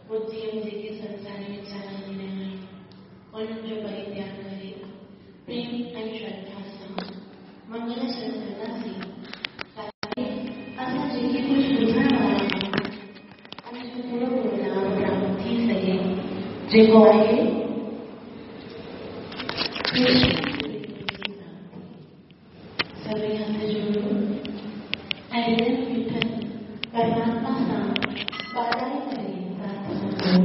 ٻڌيء ۾ جيڪي سنساري ويچار هلي رهيا آهن، انهن جو پرتياڳ ڪري، پريم ۽ شرڌا سان منگل چرڻ ڪنداسين، تاڪه اسان جيڪي ڪجهه ٻڌڻ وارا آهيون، ان جو پورو پورو لاڀ پراپت ٿي سگهي، جيڪو آهي ڪرشن پريم جي پراپتي. سڀئي هٿ جوڙيو ۽ هردي ۾ ويٺل پرماتما سان ٻاڏائي ڪري پرارٿنا ڪيو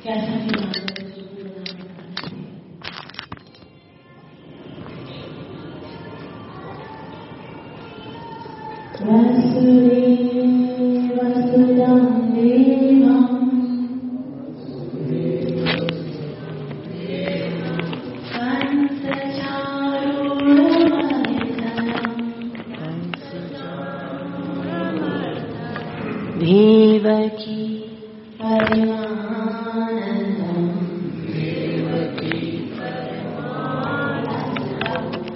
ڪي اسان کي ڀاڳوت جو پورو لاڀ پراپت ٿئي. واسوديو ستم ديوم. ديوڪي پرمانندم.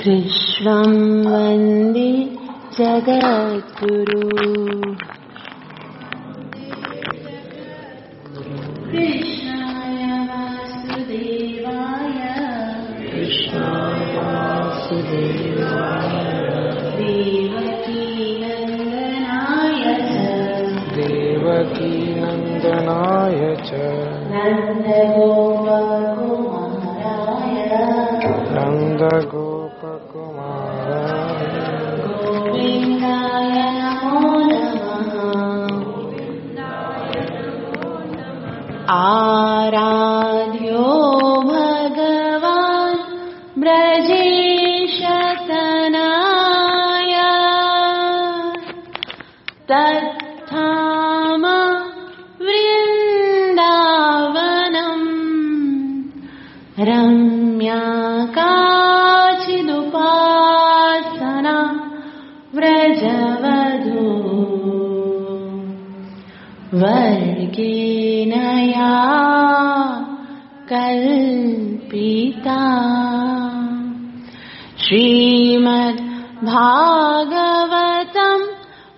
ڪرشنم وندي جگدگرو. ڪرشناي واسوديواي. ڪرشناي واسوديواي. ديوڪي نندناي چ. ديوڪي نندناي چ. نند گوپ ڪماراي. نند گوپ ڪماراي. گوونداي نمو نمः. آراڌيو ڀڳوان برجيش تنايا. تتڌام ورنداونم. رميا ڪاچدپاسنا ورجوڌو. ورگين يا ڪلپتا. شريمد ڀاڳوتم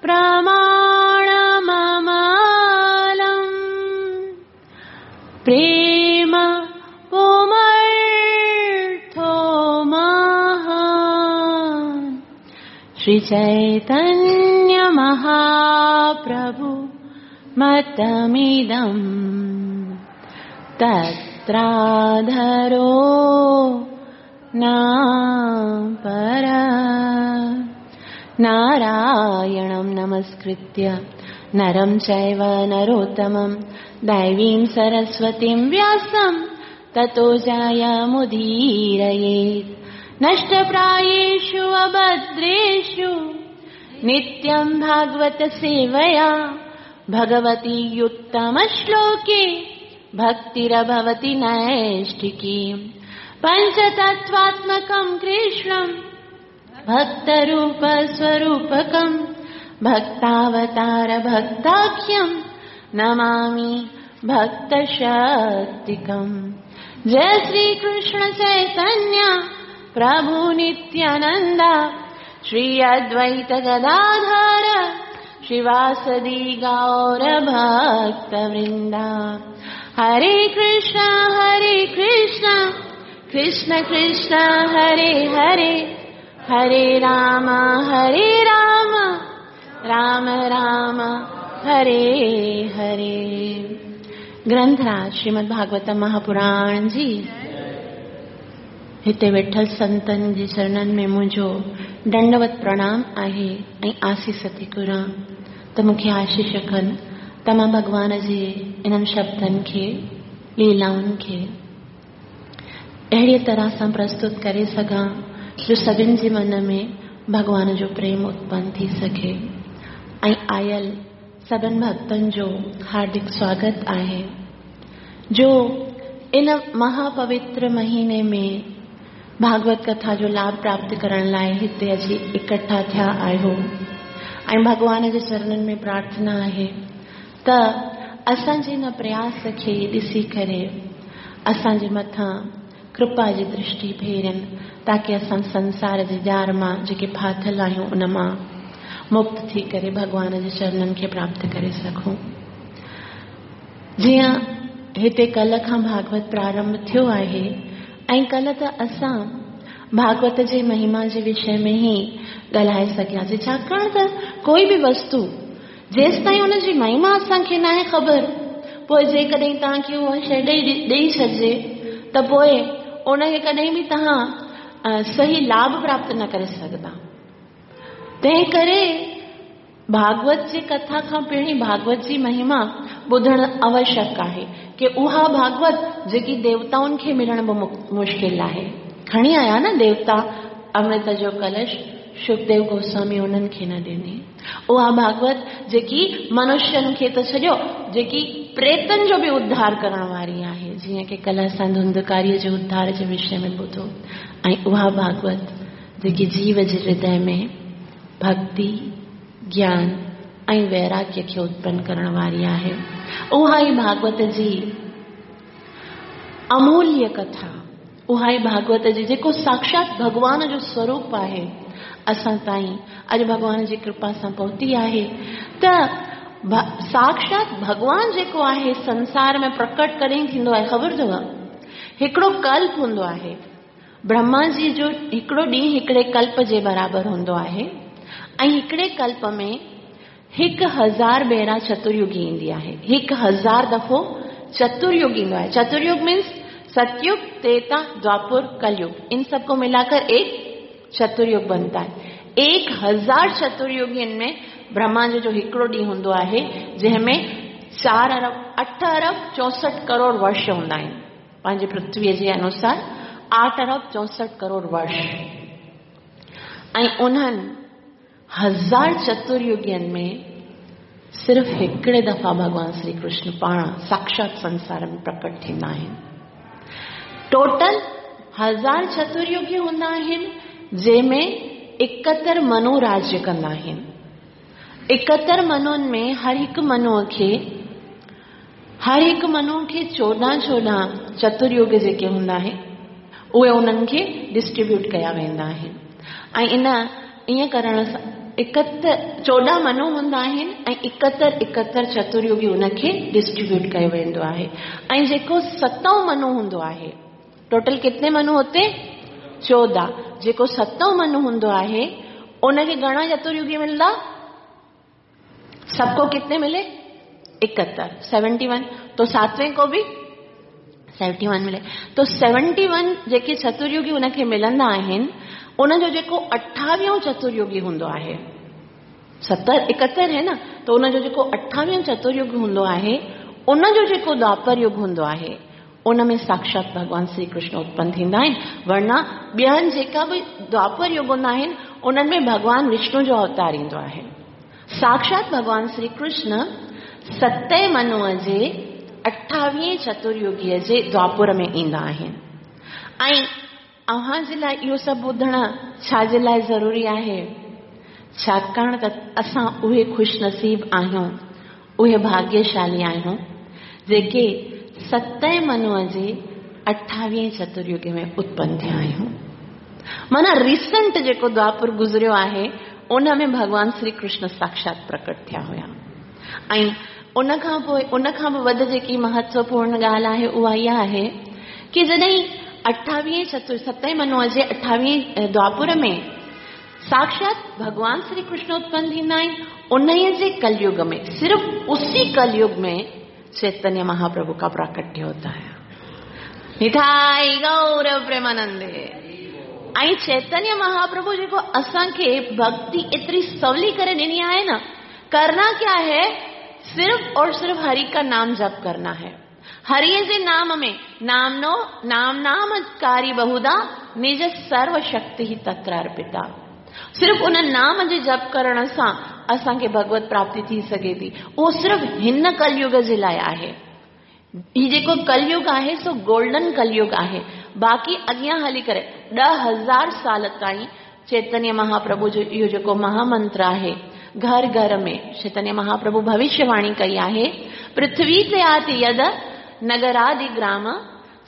پرماڻمملم. پريم پمرٿو مهان. شري چيتنيه مهاپرڀو متمدم. تتراڌرو نه پر. نارائڻم نمسڪرتيه نرم چيو نروتمم ديويم سرسوتيم وياسم تتو جيمديريت. نشٽپراييشو اڀدريشو نتيم ڀاڳوت سيويا ڀڳوتي اتم شلوڪي ڀڪترڀوتي نيشٺڪي. پنچتتواتمڪم ڪرشنم ڀڪتروپ سوروپڪم ڀڪتاوتار ڀڪتاکيم نمامي ڀڪتشڪتڪم. جئي شري ڪرشن چيتنيه پرڀو نتيانندا شري ادويت گداڌر شريواسدي گور ڀڪت ورندا. هري ڪرشن هري ڪرشن ڪرشن ڪرشن هري هري هري رام هري رام رام رام هري هري. گرنٿراج شريمد ڀاڳوتم مهاپراڻ جي هتي ويٺل سنتن جي چرڻن ۾ منهنجو ڏنڊوت پرڻام آهي ۽ آسيس ٿي گهران ته مون کي آشيش ڪن ته مان ڀڳوان جي انهن شبدن کي، ليلائن کي اهڙيء طرح سان پرستت ڪري سگهان جو سڀن جي من ۾ ڀڳوان جو پريم اتپن ٿي سگهي. ۽ آيل سڀن ڀڳتن جو هاردڪ سواگت آهي جو ان مهاپوتر مهيني ۾ ڀاڳوت ڪٿا جو لاڀ پراپت ڪرڻ لاء هتي اچي اڪٺا ٿيا آهيو. ۽ ڀڳوان جي چرنن ۾ پرارٿنا آهي ته اسان جي ان پرياس کي ڏسي ڪري اسان جي مٿان ڪرپا جي درشٽي ڦيرين تاڪه اسان سنسار جي ڄار مان جيڪي ڦاٿل آهيون ان مان مڪت ٿي ڪري ڀڳوان جي چرنن کي پراپت ڪري سگهون. जीअं हिते कल्ह खां भागवत प्रारंभ थियो आहे ऐं कल्ह त असां भागवत जे महिमा जे विषय में ई ॻाल्हाए सघियासीं, छाकाणि त कोई बि वस्तु जेसि ताईं हुनजी महिमा असांखे नाहे ख़बर, पोइ जेकॾहिं तव्हांखे उहा शइ ॾेई छॾिजे त पोइ उनखे कॾहिं बि तव्हां सही लाभ प्राप्त न करे सघंदा। तंहिं करे भागवत जी कथा खां पहिरीं भागवत जी महिमा ॿुधणु आवश्यक आहे की उहा भागवत जेकी देवताउनि खे मिलणु बि मुश्किल आहे। खणी आया न देवता अमृत जो कलश, सुखदेव गोस्वामी उन्हनि खे न ॾिनी। उहा भागवत जेकी मनुष्यनि खे त छॾियो, जेकी प्रेतनि जो बि उद्धार करण वारी आहे, जीअं की कल्ह असां धुंधकारीअ जे उद्धार जे विषय में ॿुधो। ऐं उहा भागवत जेकी जीव जे हृदय में भक्ति, ज्ञान ऐं वैराग्य खे उत्पन्न करण वारी आहे, उहा ई भागवत जी अमूल्य कथा, उहा ई भागवत जी जेको साक्षात भॻवान जो स्वरूप आहे, असां ताईं अॼु भॻवान जी कृपा सां पहुती आहे। त साक्षात भॻवान जेको आहे संसार में प्रकट कॾहिं थींदो आहे ख़बर अथव? हिकिड़ो कल्प हूंदो आहे, ब्रह्मा जी जो हिकिड़ो ॾींहुं हिकिड़े कल्प जे बराबरि हूंदो आहे ऐं हिकिड़े कल्प में 1000 भेरा चतुर्युगी ईंदी आहे। 1000 दफ़ो चतुर्युग ईंदो आहे। चतुर्युग मीन्स सतयुग, त्रेता, द्वापुर, कलयुग, इन सबको मिलाकर एक चतुर्युग बनता है। 1000 चतुर्युगियुनि में ब्रह्मा जो हिकिड़ो ॾींहुं हूंदो आहे, जंहिंमें 4 अरब 8 अरब 64 करोड़ वर्ष हूंदा आहिनि। पंहिंजे पृथ्वीअ जे अनुसार 8 अरब 64 करोड़ वर्ष। ऐं उन्हनि 1000 चतुर्युगियुनि में सिर्फ़ हिकिड़े दफ़ा भॻवान श्री कृष्ण पाण साक्षात संसार में प्रकट थींदा आहिनि। टोटल 1000 चतुर्युगी हूंदा आहिनि, जंहिंमें 71 मनु राज्य कंदा आहिनि। 71 मनुनि में हर हिकु मनु खे 14-14 चतुर्युग जेके हूंदा आहिनि उहे उन्हनि खे डिस्ट्रीब्यूट कया वेंदा आहिनि। ऐं इन ईअं करण सां 14 मनु हूंदा आहिनि ऐं 71 चतुर्युगी उनखे डिस्ट्रीब्यूट कयो वेंदो आहे। ऐं जेको सतों मनु हूंदो आहे, टोटल कितने मनु होते? 14। जेको सतों मनु हूंदो आहे उनखे घणा चतुर्युगी मिलंदा? सबको कितने मिले? 71, 71। तो सातवें को भी 71 मिले। तो 71 जेके चतुर्युगी उनखे मिलंदा आहिनि, उनजो जेको 28वां चतुर्युगी हूंदो आहे, 71 है ना, तो उनजो जेको 28वां चतुर्युग हूंदो आहे, उनजो जेको द्वापर युग हूंदो आहे, उन में साक्षात भॻवान श्री कृष्ण उत्पन्न थींदा आहिनि। वरना ॿियनि जेका बि द्वापर युग हूंदा आहिनि उन्हनि में भॻवान विष्णु जो अवतार ईंदो आहे। साक्षात भॻवान श्री कृष्ण सते मनुअ जे 28वें चतुर्युगीअ जे द्वापुर में ईंदा आहिनि। ऐं अव्हां जे लाइ इहो सभु ॿुधणु छाजे लाइ ज़रूरी आहे? छाकाणि त असां उहे ख़ुशनसीब आहियूं, उहे भाग्यशाली आहियूं जेके सते मनुअ जे 28वें चतुर्युग में उत्पन्न थिया आहियूं। माना रिसेंट जेको द्वापुर गुज़रियो आहे उन में भॻवान श्री कृष्ण साक्षात प्रकट थिया हुया। ऐं उन खां पोइ उन खां बि वधि जेकी महत्वपूर्ण ॻाल्हि आहे उहा इहा आहे की जॾहिं 28वें सते मनुअ जे 28वें द्वापुर में साक्षात भगवान श्री कृष्ण उत्पन्न थींदा आहिनि, उन्हीअ जे कलयुग में, सिर्फ उसी कलयुग में चैतन्य महाप्रभु का प्राकट्य होता है। निताई गौर प्रेमानंदे। ऐं चैतन्य महाप्रभु जेको असांखे भक्ति एतिरी सवली करे ॾिनी आहे न, करना क्या है? सिर्फ और सिर्फ हरि का नाम जप करना है। हरि जे नाम में नामनो नाम नाम कारी बहुधा निज सर्व शक्ति ही तत्र अर्पिता। सिर्फ उन नाम जे जप करण सां असांखे भगवत प्राप्ति थी सघे थी। उहो सिर्फ हिन कलयुग जे लाइ आहे। ही जेको कलयुग आहे सो गोल्डन कलयुग आहे। बाक़ी अॻियां हली करे 10,000 साल ताईं चैतन्य महाप्रभु जो इहो जेको महामंत्र आहे घर घर में चैतन्य महाप्रभु भविष्यवाणी कई आहे, पृथ्वी ते आति यद नगरादि ग्राम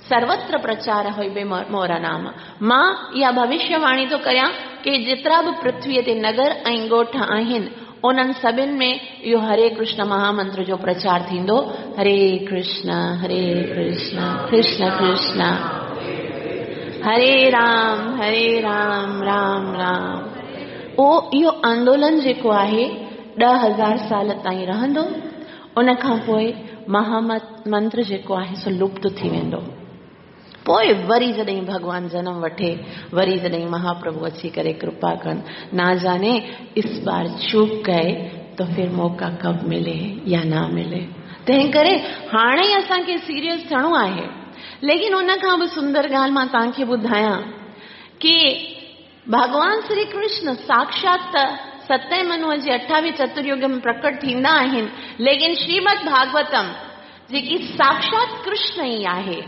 सर्वत्र प्रचार होइबे मोरा नाम। मां इहा भविष्यवाणी थो कयां की जेतिरा बि पृथ्वीअ ते नगर ऐं ॻोठ आहिनि उन्हनि सभिनि में इहो हरे कृष्ण महामंत्र जो प्रचार थींदो। हरे कृष्ण कृष्ण कृष्ण हरे राम राम राम। उहो इहो आंदोलन जेको आहे 10,000 साल ताईं रहंदो। उन खां पोइ महामंत्र जेको आहे सो लुप्त थी वेंदो। पोइ वरी जॾहिं भॻवान जनम वठे, वरी जॾहिं महाप्रभु अची करे कृपा कनि, ना जाने इस बार चूक गए तो फिर मौका कब मिले या ना मिले। तंहिं करे हाणे ई असांखे सीरियस थियणो आहे। लेकिन उन खां बि सुंदर ॻाल्हि मां तव्हांखे ॿुधायां की भॻवान श्री कृष्ण साक्षात सतें मनुअ जे 28 चतुर्युग में प्रकट थींदा आहिनि, लेकिन श्रीमद भागवतम जेकी साक्षात कृष्ण ई आहे,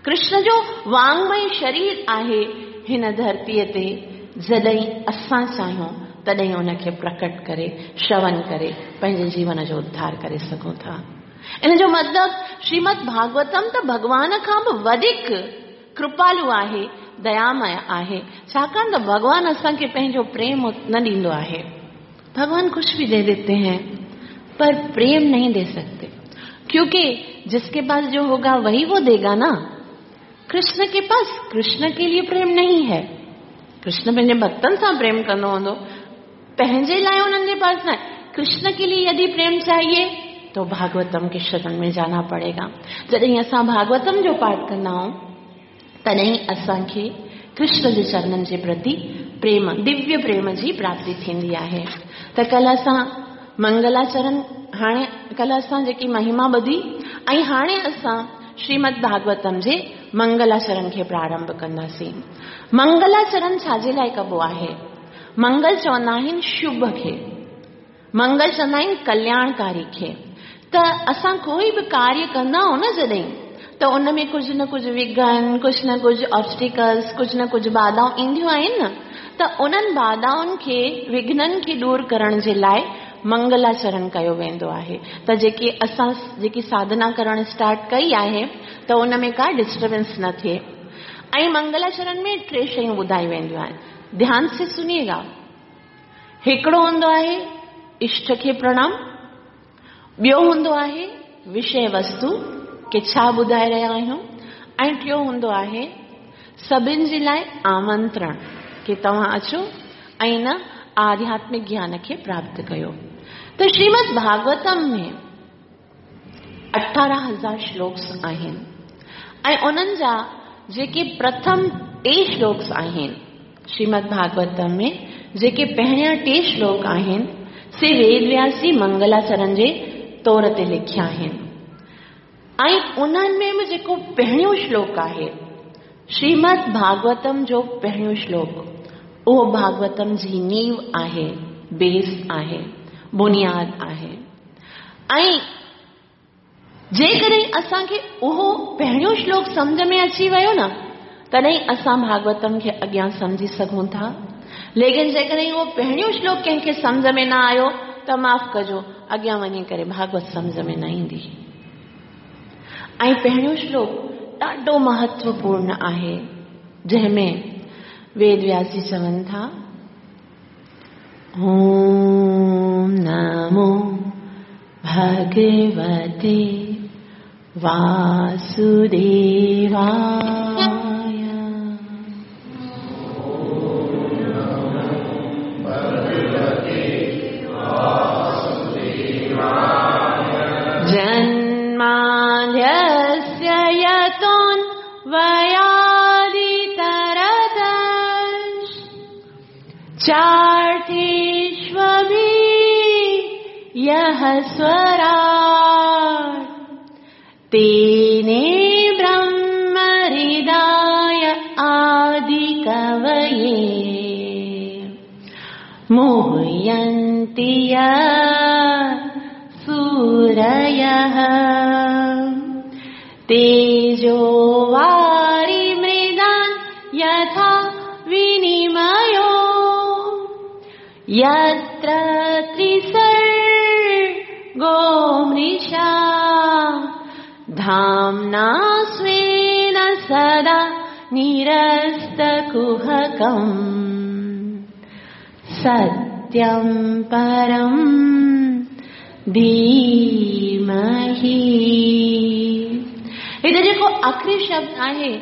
कृष्ण जो वांगमय शरीर आहे, हिन धरतीअ ते जॾहिं असां चाहियूं तॾहिं उनखे प्रकट करे श्रवण करे पंहिंजे जीवन जो उद्धार करे सघूं था। इन जो मतिलबु श्रीमद भागवतम त भॻवान खां बि वधीक कृपालु आहे, दयामय आहे, छाकाणि त भॻवान असांखे पंहिंजो प्रेम न ॾींदो आहे। भगवान कुछ भी दे देते हैं पर प्रेम नहीं दे सकते, क्योंकि जिसके पास जो होगा वही वो देगा ना। कृष्ण के पास कृष्ण के लिए प्रेम नहीं है। कृष्ण पंहिंजे भक्तनि सां प्रेम कंदो हूंदो, पंहिंजे लाइ उन्हनि जे पास न। कृष्ण के लिए यदि प्रेम चाहिए तो भागवतम के शरण में जाना पड़ेगा। जॾहिं असां भागवतम जो पाठ कंदा आहियूं तॾहिं असांखे कृष्ण जे चरणनि जे प्रति प्रेम, दिव्य प्रेम जी प्राप्ति थींदी आहे। त कल्ह असां मंगलाचरण, हाणे कल्ह असां जेकी महिमा ॿुधी ऐं हाणे असां श्रीमद भागवतम जे मंगलाचरण खे प्रारंभ कंदासीं। मंगलाचरण छाजे लाइ कबो आहे? मंगल चवंदा आहिनि शुभ खे, मंगल चवंदा आहिनि कल्याणकारी खे। त असां कोई बि कार्य कंदा आहियूं न जॾहिं, त उन में कुझु न कुझु विघ्न, कुझु न कुझु ऑब्स्टिकल्स, कुझु न कुझु बाधाऊं ईंदियूं आहिनि न, त उन्हनि बाधाउनि खे, विघ्ननि खे दूर करण जे लाइ मंगलाचरण कयो वेंदो आहे। त जेकी असां जेकी साधना करण स्टार्ट कई आहे त उन में का डिस्टर्बेंस न थिए। ऐं मंगलाचरण में टे शयूं ॿुधाई वेंदियूं आहिनि, ध्यान से सुनिएगा। हिकिड़ो हूंदो आहे इष्ट खे प्रणाम, ॿियो हूंदो आहे विषय वस्तु के छा ॿुधाए रहिया आहियूं, ऐं टियों हूंदो आहे सभिनि जे लाइ आमंत्रण की तव्हां अचो ऐं न आध्यात्मिक ज्ञान खे प्राप्त कयो। त श्रीमद भागवतम में 18,000 श्लोक आहिनि ऐं उन्हनि जा जेके प्रथम टे श्लोक आहिनि, श्रीमद भागवतम में जेके पहिरियां टे श्लोक आहिनि से वेद व्यास जी मंगलाचरण जे तौर ते लिखिया आहिनि। ऐं उन्हनि में बि जेको पहिरियों श्लोक आहे, श्रीमद भागवतम जो पहिरियों श्लोक, उहो भागवतम जी नींव आहे, बेस आहे, बुनियाद आहे। ऐं जेकॾहिं असांखे उहो पहिरियों श्लोक सम्झ में अची वियो न, तॾहिं असां भागवतम खे अॻियां सम्झी सघूं था। लेकिन जेकॾहिं उहो पहिरियों श्लोक कंहिंखे सम्झ में न आयो त माफ़ कजो, अॻियां वञी करे भागवत सम्झ में न ईंदी। ऐं पहिरियों श्लोक ॾाढो महत्वपूर्ण आहे, जंहिंमें वेद व्यास जी चवनि था, ओम नमो भगवते वासुदेवाय। जन्माद्यस्य यतोऽन्वयादितरतश् चार्थेष्वभि यः स्वराट् तेने ब्रह्महृदाय आदिकवये मुह्यन्ति सूरयः तेजो वारि मृदान् यथा विनिमयो यत्र त्रिसर्गो मृषा धाम्ना स्वेन सदा निरस्तकुहकम् सत्यं सत्यं परं धीमहि। हिते जेको आख़िरी शब्द आहे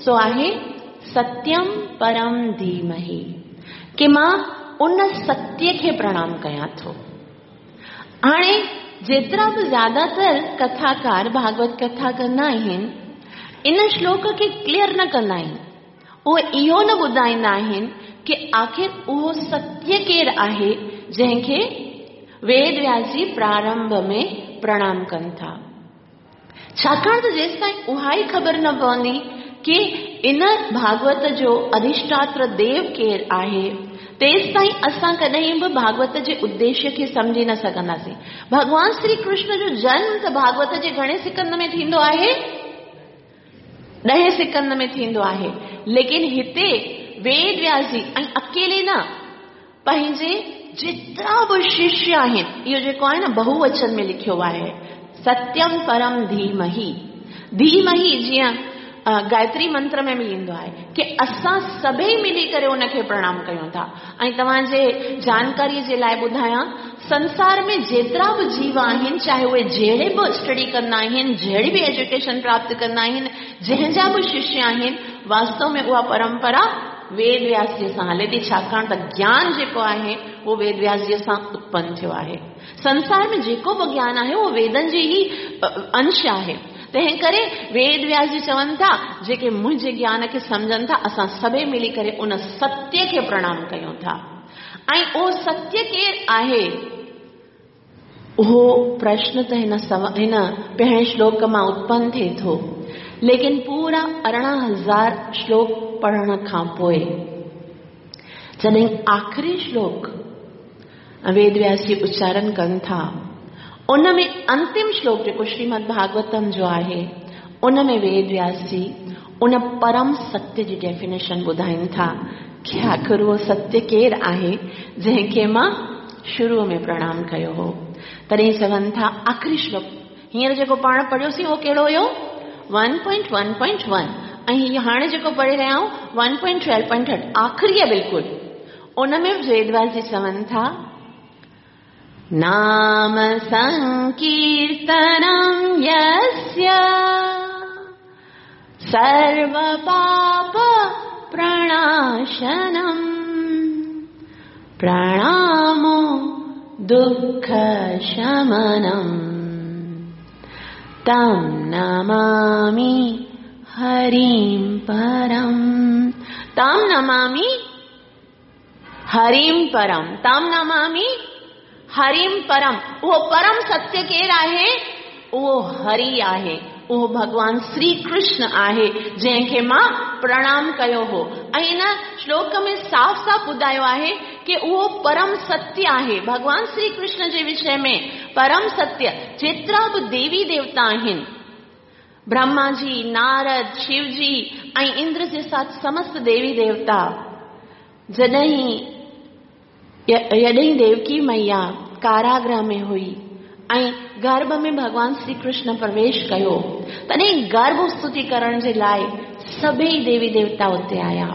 सो आहे सत्यम परम धीमहि, कि मां उन सत्य खे प्रणाम कयां थो। हाणे जेतिरा बि ज़्यादातर कथाकार भागवत कथा कंदा आहिनि, इन श्लोक खे क्लियर न कंदा आहिनि। उहे इहो न ॿुधाईंदा आहिनि कि आख़िर उहो सत्य केरु आहे जंहिंखे वेद व्यास जी प्रारंभ में प्रणाम कनि था। छाकाणि त जेसि ताईं उहा ई ख़बर न पवंदी कि इन भागवत जो अधिष्ठात्र देव केरु आहे, तेसि ताईं असां कॾहिं बि भागवत जे उद्देश्य खे सम्झी न सघंदासीं। भॻवान श्री कृष्ण जो जन्म त भागवत जे घणे सिकंद में थींदो आहे? 10 सिकंद में थींदो आहे। लेकिन हिते वेद व्यास जी ऐं अकेले न, पंहिंजे जेतिरा बि शिष्य आहिनि, इहो जेको आहे न बहुवचन में लिखियो आहे, सत्यम परम धीमहि। धीमहि जीअं गायत्री मंत्र में बि ईंदो आहे कि असां सभई मिली करे उनखे प्रणाम कयूं था। ऐं तव्हांजे जानकारीअ जे लाइ ॿुधायां, संसार में जेतिरा बि जीव आहिनि, चाहे उहे जहिड़े बि स्टडी कंदा आहिनि, जहिड़ी बि एजुकेशन प्राप्त कंदा आहिनि, जंहिंजा बि शिष्य आहिनि, वास्तव में उहा परंपरा वेद व्यास जी सां हले थी। छाकाणि त ज्ञान जेको आहे उहो वेद व्यास जी सां उत्पन्न थियो आहे। संसार में जेको बि ज्ञान आहे उहो वेदनि जे ई अंश आहे। तंहिं करे वेद व्यास जी चवनि था, जेके मुंहिंजे ज्ञान खे सम्झनि था, असां सभई मिली करे उन सत्य खे प्रणाम कयूं था। ऐं उहो सत्य केरु आहे, उहो प्रश्न त हिन पहिरें श्लोक मां उत्पन्न थिए थो। लेकिन पूरा 18,000 श्लोक पढ़ण खां पोइ जॾहिं आख़िरी श्लोक वेद व्यास जी उच्चारण कनि था, उन में अंतिम श्लोक जेको श्रीमद् भागवतम जो आहे, उन में वेद व्यास जी उन परम सत्य जी डेफिनेशन ॿुधाइनि था कि आख़िर उहो सत्य केरु आहे जंहिंखे मां शुरू में प्रणाम कयो हो। तॾहिं चवनि था आख़िरी श्लोक हींअर जेको पाण पढ़ियोसीं उहो कहिड़ो हुयो? 1.1.1। ऐं हीअ हाणे जेको पढ़े रहिया आहियूं 1.12.8 आख़िरी आहे बिल्कुलु। उन में वेद व्यास जी चवनि था, नाम संकीर्तनं यस्य सर्व पाप प्रणाशनम् प्रणामो दुःख शमनम् तं नमामि हरिं परम्। तं नमामि हरिं परम्। तं नमामि हरिं परम। उहो परम सत्य केरु आहे? उहो हरि आहे, उहो भॻवान श्री कृष्ण आहे जंहिंखे मां प्रणाम कयो हो। ऐं हिन श्लोक में साफ़ साफ़ ॿुधायो आहे कि उहो परम सत्य आहे। भॻवान श्री कृष्ण जे विषय में परम सत्य, जेतिरा बि देवी देवता आहिनि, ब्रह्मा जी, नारद, शिवजी ऐं इंद्र जे साथ समस्त देवी देवता, जॾहिं यॾहिं देवकी मैया कारागृह में हुई ऐं गर्भ में भॻवान श्री कृष्ण प्रवेश कयो, तॾहिं गर्भ स्तुति करण जे लाइ सभई देवी देवता उते आया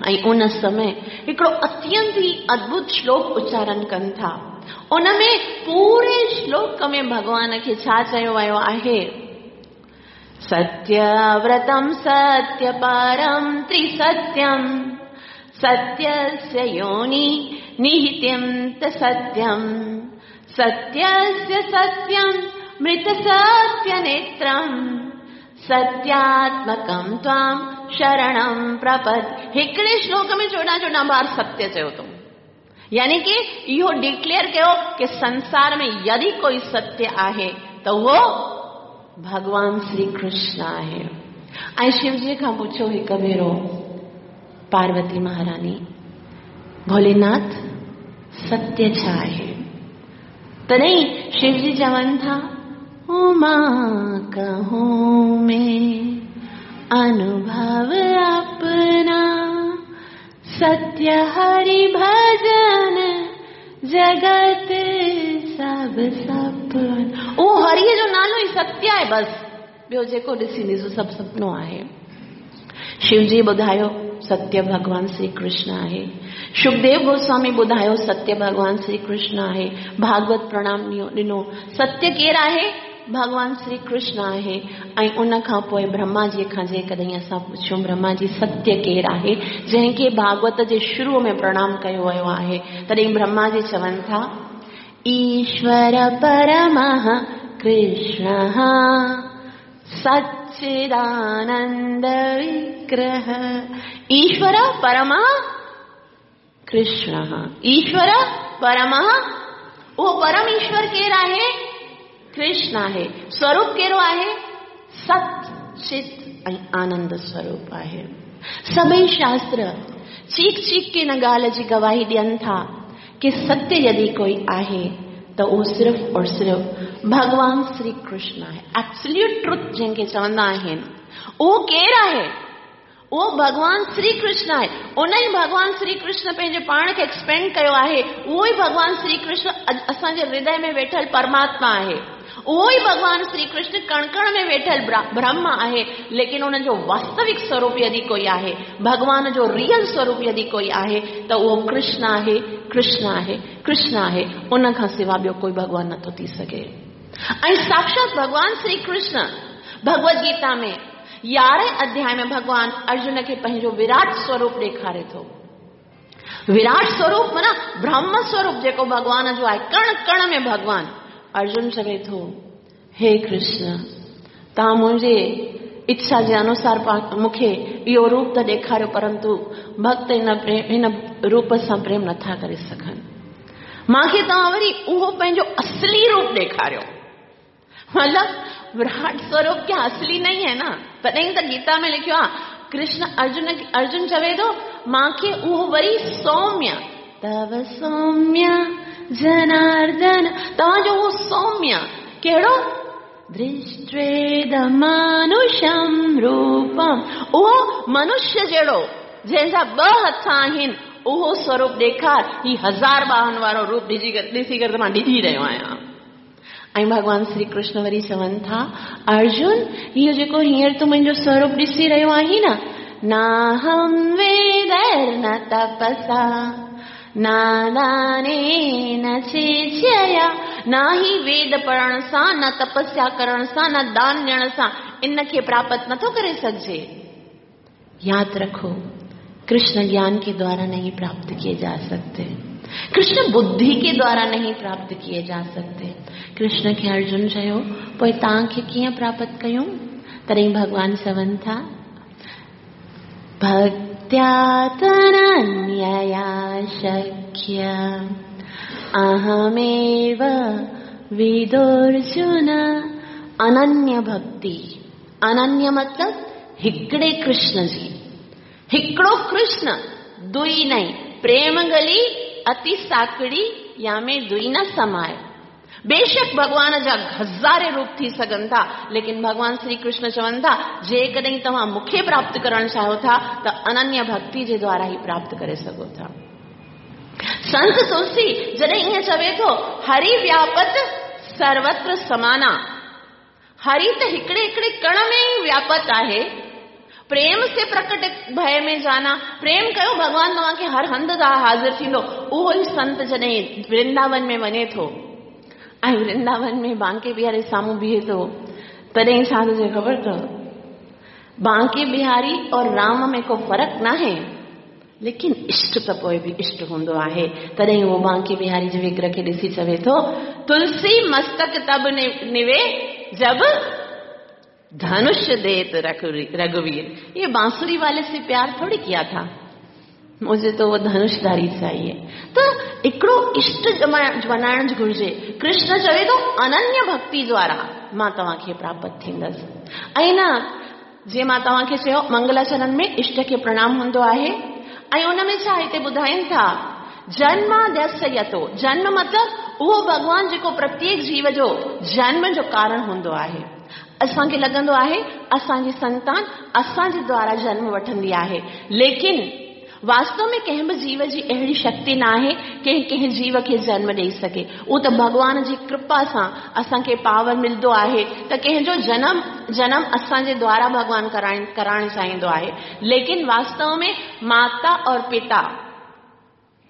ऐं उन समय हिकिड़ो अत्यंत ई अद्भुत श्लोक उच्चारण कनि था। उन में पूरे श्लोक में भॻवान खे छा चयो वियो आहे? सत्यव्रतं सत्यपरं त्रिसत्यं सत्यस्य योनि निहितं त सत्यं सत्यस्य सत्यं मृतसत्यनेत्रं सत्यात्मकं त्वां शरणं प्रपद्। हिकिड़े श्लोक में 14 14 बार सत्य चयो अथऊं, यानी कि इहो डिक्लेयर कयो कि संसार में यदि कोई सत्य आहे त उहो भॻवान श्री कृष्ण आहे। ऐं शिवजी खां पुछियो हिकु भेरो पार्वती महारानी, भोलेनाथ सत्य छा आहे? तॾहिं शिवजी चवनि था, उमा कहूँ मैं अनुभव अपना, सत्य हरि भजन जगत सब सपन। उहो हरिअ जो नालो ई सत्य आहे, बसि ॿियो जेको ॾिसी ॾिसो सभु सपनो आहे। शिवजी ॿुधायो ستيه ڀڳوان شري ڪرشن آهي. شڪديو گوسوامي ٻڌايو، ستيه ڀڳوان شري ڪرشن آهي. ڀاڳوت پرڻام ڏنو، ستيه ڪير آهي؟ ڀڳوان شري ڪرشن آهي. ۽ ان کان پوءِ برهما جي کان جيڪڏهن اسان پڇون، برهما جي ستيه ڪير آهي جنهن کي ڀاڳوت جي شروع ۾ پرڻام ڪيو ويو آهي، تڏهن برهما جي چون ٿا، ايشور پرمه ڪرشن سچدانند وگرهه. ايشور پرم ڪرشن، ايشور پرم، اهو پرم ايشور ڪير آهي؟ ڪرشن آهي. سوروپ ڪهڙو آهي؟ ست چت ۽ آنند سوروپ آهي. سڀئي شاستر چيڪ چيڪ ڪي هن ڳالهه جي گواهي ڏين ٿا ڪه ستيه يدي ڪوئي آهي ته اهو صرف اور صرف ڀڳوان شري ڪرشن آهي. ايبسوليوٽ ٽروٿ جنهن کي چوندا آهن اهو ڪير آهي؟ اهو ڀڳوان شري ڪرشن آهي. ان ئي ڀڳوان شري ڪرشن پنهنجي پاڻ کي ايڪسپينڊ ڪيو آهي. اهو ئي ڀڳوان شري ڪرشن اسان جي هردي ۾ ويٺل پرماتما آهي. اهو ئي ڀڳوان شري ڪرشن ڪڻ ڪڻ ۾ ويٺل برهم آهي. ليڪن ان جو واستوڪ سوروپ يدي ڪوئي آهي، ڀڳوان جو ريئل سوروپ يدي ڪوئي آهي ته اهو ڪرشن آهي، ڪرشن آهي، ڪرشن آهي. ان کان سوا ٻيو ڪوئي ڀڳوان نٿو ٿي سگهي. ۽ ساڪشات ڀڳوان شري ڪرشن ڀڳوت گيتا ۾ 11 اڌياء ۾ ڀڳوان ارجن کي پنهنجو وراٽ سوروپ ڏيکاري ٿو. وراٽ سوروپ معنيٰ برهم سوروپ جيڪو ڀڳوان جو آهي، ڪڻ ڪڻ ۾ ڀڳوان. ارجن چوي ٿو، هي ڪرشن، توهان منهنجي اڇا جي انوسار مون کي اهو روپ ته ڏيکاريو، پرنتو ڀڳت هن روپ سان پريم نٿا ڪري سگهن. مان کي توهان وري اهو پنهنجو اصلي روپ ڏيکاريو. مطلب وراٽ سوروپ ڪيا اصلي نہیں هي نا؟ تڏهن ته گيتا ۾ لکيو آهي، ڪرشن ارجن چوي ٿو، مان کي اهو وري سوميه، تو سوميه جناردن، توهان جو اهو سوميه ڪهڙو؟ درشٽويدمانوشم روپم، اهو منشيه جهڙو جنهن جا ٻه هٿ آهن، اهو سوروپ ڏيکار. هي 1000 ٻانهن وارو روپ ڏسي ڪري ته مان ڊڄي رهيو آهيان. ۽ ڀڳوان شري ڪرشن وري چون ٿا، ارجن، اهو جيڪو هينئر تون منهنجو سوروپ ڏسي رهيو آهين نه، ناهم ويدر نه تپسا نادانين چيچيا، نه ئي ويد پڙهڻ سان، نه تپسيا ڪرڻ سان، نه دان ڏيڻ سان ان کي پراپت نٿو ڪري سگهجي. ياد رکو، ڪرشن گيان ڪي دوارا نهين پراپت ڪيئي جا سڪتي، ڪرشن ٻڌي ڪي دوارا نهين پراپت ڪيئي جا سڪتي. ڪرشن کي ارجن چيو، پوءِ توهان کي ڪيئن پراپت ڪيون؟ تڏهن ڀڳوان چون ٿا، ڀڪتيا تننيا شڪيه اهميو ودورجن. اننيه ڀڪتي، اننيه مطلب هڪڙي ڪرشن جي، هڪڙو ڪرشن، دوئي نئين. پريم گلي اتي ساڪڙي يا ۾ دوئي نه سمائي. بيشڪ ڀڳوان جا هزارين روپ ٿي سگهن ٿا، ليڪن ڀڳوان شري ڪرشن چون ٿا، جيڪڏهن توهان مون کي پراپت ڪرڻ چاهيو ٿا ته اننيه ڀڪتي جي دوارا ئي پراپت ڪري سگهو ٿا. سنت تلسي جڏهن ائين چوي ٿو، هري وياپت سروتر سمانا، هري ته هڪڙي هڪڙي ڪڻ ۾ ئي وياپت آهي. پريم سي پرڪٽ ڀئي ۾ جانا، پريم ڪيو ڀڳوان توهان کي هر هنڌ تان حاضر ٿيندو. اهو ئي سنت جڏهن ورنداون ۾ وڃي ٿو ۽ ورنداون ۾ بانڪي بهاري سامهون بيهي ٿو، تڏهن ڇا ٿو چئي خبر اٿو؟ بانڪي بهاري اور رام ۾ ڪو فرق ناهي، ليڪن اشٽ ته پوءِ به اشٽ هوندو آهي. تڏهن اهو بانڪي بهاري جي وگرهه کي ڏسي چوي ٿو، تلسي مستڪ تب نوي جب ڌنش ديت رگهوير. ये बांसुरी वाले से प्यार थोड़ी किया था, मुझे तो वो धनुषधारी चाहिए। त हिकिड़ो इष्ट बणाइण घुर्जे। कृष्ण चवे थो, अनन्य भक्ति द्वारा मां तव्हांखे प्राप्त थींदसि। ऐं न जीअं मां तव्हांखे चयो, मंगलाचरण में इष्ट खे प्रणाम हूंदो आहे। ऐं उन में छा हिते ॿुधाइनि था, जन्माद्यस्य यतो, जन्म मतिलबु उहो भॻवान जेको प्रत्येक जीव जो जन्म जो कारण हूंदो आहे। असांखे लॻंदो आहे असांजी संतान असांजे द्वारा जन्म वठंदी आहे, लेकिन वास्तव में कंहिं बि जीव जी अहिड़ी शक्ति न आहे की कंहिं जीव खे जन्म ॾेई सघे। उहो त भॻवान जी कृपा सां असांखे पावर मिलंदो आहे त कंहिंजो जनम जनम असांजे द्वारा भॻवान कराइण चाहींदो आहे। लेकिन वास्तव में माता और पिता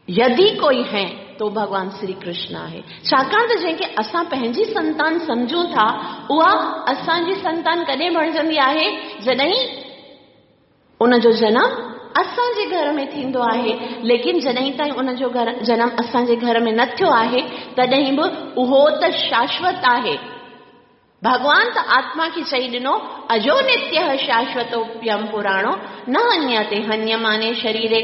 यदि कोई है तो भॻवान श्री कृष्ण आहे। छाकाणि त जंहिंखे असां पंहिंजी संतान सम्झूं था उहा असांजी संतान कॾहिं बणिजंदी आहे? जॾहिं उनजो जनम असांजे घर में थींदो आहे। लेकिन जॾहिं ताईं उनजो जनम असांजे घर में न थियो आहे तॾहिं बि उहो त शाश्वत आहे। भॻवान त आत्मा खे चई ॾिनो अजो नित्य शाश्वतोप्यम पुराणो न हन्यते हन्यमाने शरीरे।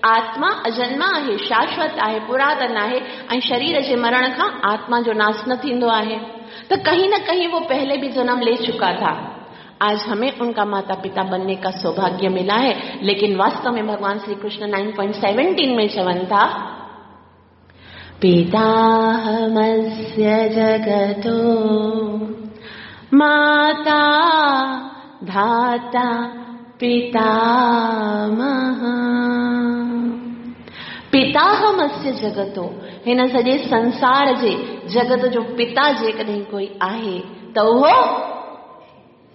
आत्मा अजन्मा आहे, शाश्वत आहे, पुरातन आहे ऐं शरीर जे मरण खां आत्मा जो नाश न थींदो आहे। त कहीं न कहीं वो पहले भी जन्म ले चुका था। आज हमें उनका माता पिता बनने का सौभाग्य मिला है। लेकिन वास्तव में भगवान श्री कृष्ण 9.17 में चवन था, पिताहमस्य जगतो माता धाता पितामह। पिताहमस्य जगतो, हिन सॼे संसार जे जगत जो पिता जेकॾहिं कोई आहे त उहो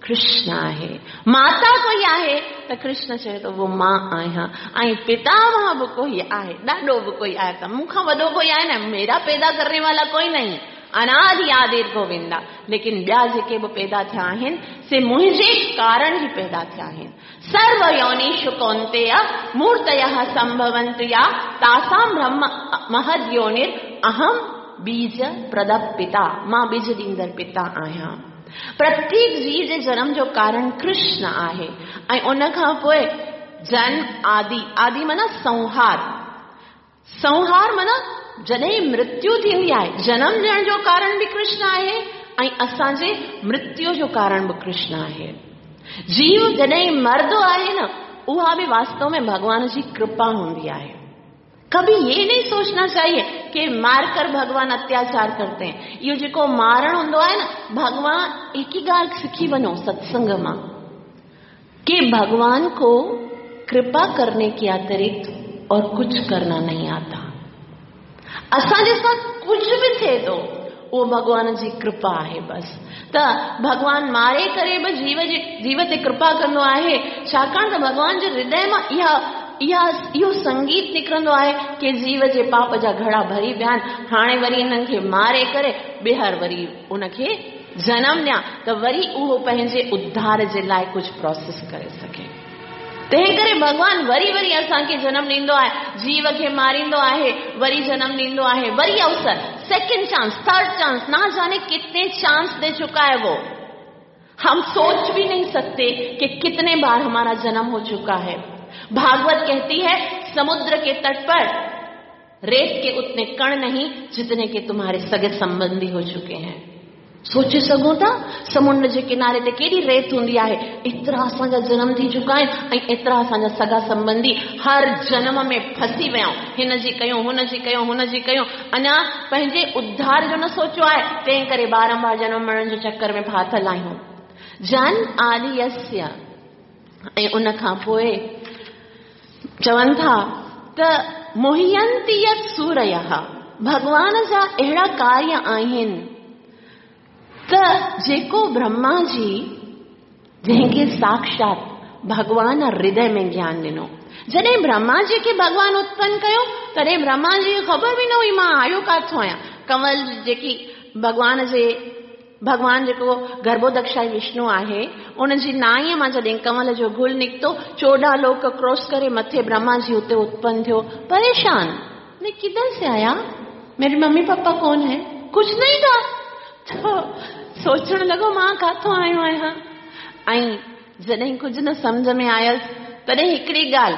कृष्ण आहे। माता कोई आहे त कृष्ण चए थो उहो मां आहियां। ऐं पितामह बि कोई आहे, ॾाॾो बि कोई आहे, त मूंखां वॾो कोई आहे न, मेरा पैदा करने वाला कोई नहीं, अनादि आदिर गोविंदा। लेकिन ॿिया जेके बि पैदा थिया आहिनि से मुंहिंजे कारण ई पैदा थिया आहिनि। सर्व योनिषु कौन्तेय मूर्तयः संभवन्तु या तासां ब्रह्म महद योनिर अहम बीज प्रद पिता। मां बीज ॾींदड़ पिता आहियां। प्रत्येक जीव जे जन्म जो कारण कृष्ण आहे। ऐं उन खां पोइ जन्म आदि, आदि माना संहार, संहार माना जॾहिं मृत्यु थींदी आहे, जन्म ॾियण जो कारण बि कृष्ण आहे ऐं असांजे मृत्यु जो कारण बि कृष्ण आहे। जीव जॾहिं मरदो आहे न, उहा बि वास्तव में भॻवान जी कृपा हूंदी आहे। कभी ये नहीं सोचना चाहिए कि मारकर भगवान अत्याचार करते हैं। इहो जेको मारण हूंदो आहे न, भगवान एक ही ॻाल्हि सिखी वञो सत्संग मां कि भगवान को कृपा करने के अतिरिक्त और कुछ करना नहीं आता। असांजे सां कुझु बि थिए थो उहो भॻवान जी कृपा आहे बसि। त भॻवान मारे करे बि जीव ते कृपा कंदो आहे, छाकाणि त भॻवान जे हृदय मां इहा इहा इहो संगीत निकिरंदो आहे कि जीव जे पाप जा घड़ा भरी विया आहिनि, हाणे वरी हिननि खे मारे करे ॿीहर वरी उनखे जनम ॾियां त वरी उहो पंहिंजे उद्धार जे लाइ कुझु प्रोसेस करे सघे। तंहिं करे भॻवान वरी वरी असांखे जनम ॾींदो आहे, जीव खे मारींदो आहे, वरी जनम ॾींदो आहे, वरी अवसर, सेकंड चांस, थर्ड चांस, ना जाने कितने चांस दे चुका है वो। हम सोच भी नहीं सकते कि कितने बार हमारा जन्म हो चुका है। भागवत कहती है समुद्र के तट पर रेत के उतने कण नहीं जितने के तुम्हारे सगे संबंधी हो चुके हैं। सोचे सघूं था समुंड जे किनारे ते केॾी रेत हूंदी आहे, एतिरा असांजा जनम थी चुका आहिनि ऐं एतिरा असांजा सगा संबंधी हर जनम में फसी विया आहियूं। हिन जी कयूं, हुन जी कयूं, हुन जी कयूं, अञा पंहिंजे उद्धार जो न सोचियो आहे, तंहिं करे बारंबार जनम मरण जे चक्कर में फाथल आहियूं। जन आदि ऐं उन खां पोइ चवनि था त मोहियंती यत् सूरयः, भॻवान जा अहिड़ा कार्य आहिनि त जेको ब्रह्मा जी जंहिंखे साक्षात भॻवान हृदय में ज्ञान ॾिनो। जॾहिं ब्रह्मा जी खे भॻवान उत्पन्न कयो तॾहिं ब्रह्मा जी खे ख़बर बि न हुई मां आयो काथों आहियां। कंवल जेकी भॻवान जेको गर्भोदक्षाई विष्णु आहे उनजी नाईअ मां जॾहिं कंवल जो गुल निकितो, 14 लोक क्रॉस करे मथे ब्रह्मा जी उते उत्पन्न थियो। परेशान, मैं किधर से आया, मेरे मम्मी पापा कौन है, कुछ नहीं था। तो सोचण लॻो मां काथों आयो आहियां। ऐं जॾहिं कुझु न सम्झ में आयुसि तॾहिं हिकिड़ी ॻाल्हि,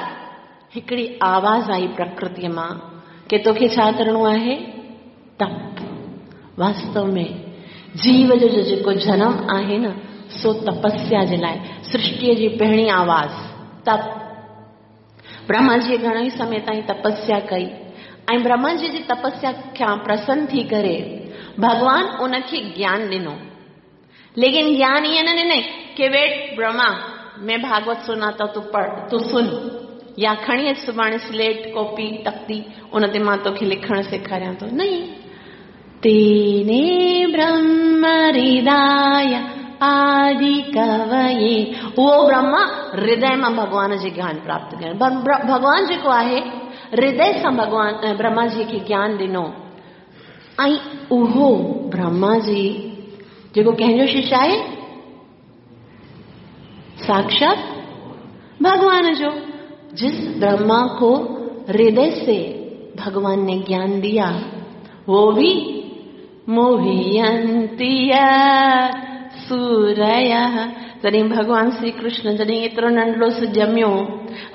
हिकिड़ी आवाज़ आई प्रकृति मां कि तोखे छा करिणो आहे, तप। वास्तव में जीव जो जेको जनम आहे न सो तपस्या जे लाइ, सृष्टीअ जी पहिरीं आवाज़ तप। ब्रह्मा जी घणो ई समय ताईं तपस्या कई ऐं ब्रह्मा जी जी तपस्या खां प्रसन्न थी करे भॻवान उनखे ज्ञान ॾिनो। लेकिन ज्ञान ईअं न ॾिनई कि वेट ब्रह्मा मैं भागवत सुनाता तू पढ़, तू सुन, या खणी अच सुभाणे स्लेट, कॉपी, तख्ती, उन ते मां तोखे लिखण सेखारियां थो। नहीं, तेने ब्रह्म हृदय आदि कवये, उहो ब्रह्मा हृदय मां भॻवान जे ज्ञान प्राप्त करणु। भॻवान जेको आहे हृदय सां भॻवान ब्रह्मा जी खे ज्ञान ॾिनो ऐं उहो ब्रह्मा जी जेको कंहिंजो शिष्य आहे? साक्षात भगवान जो। जिस ब्रह्मा को हृदय से भगवान ने ज्ञान दिया वो भी मोहियंती सूरय। जॾहिं भॻवान श्री कृष्ण जॾहिं एतिरो नंढड़ो सो ॼमियो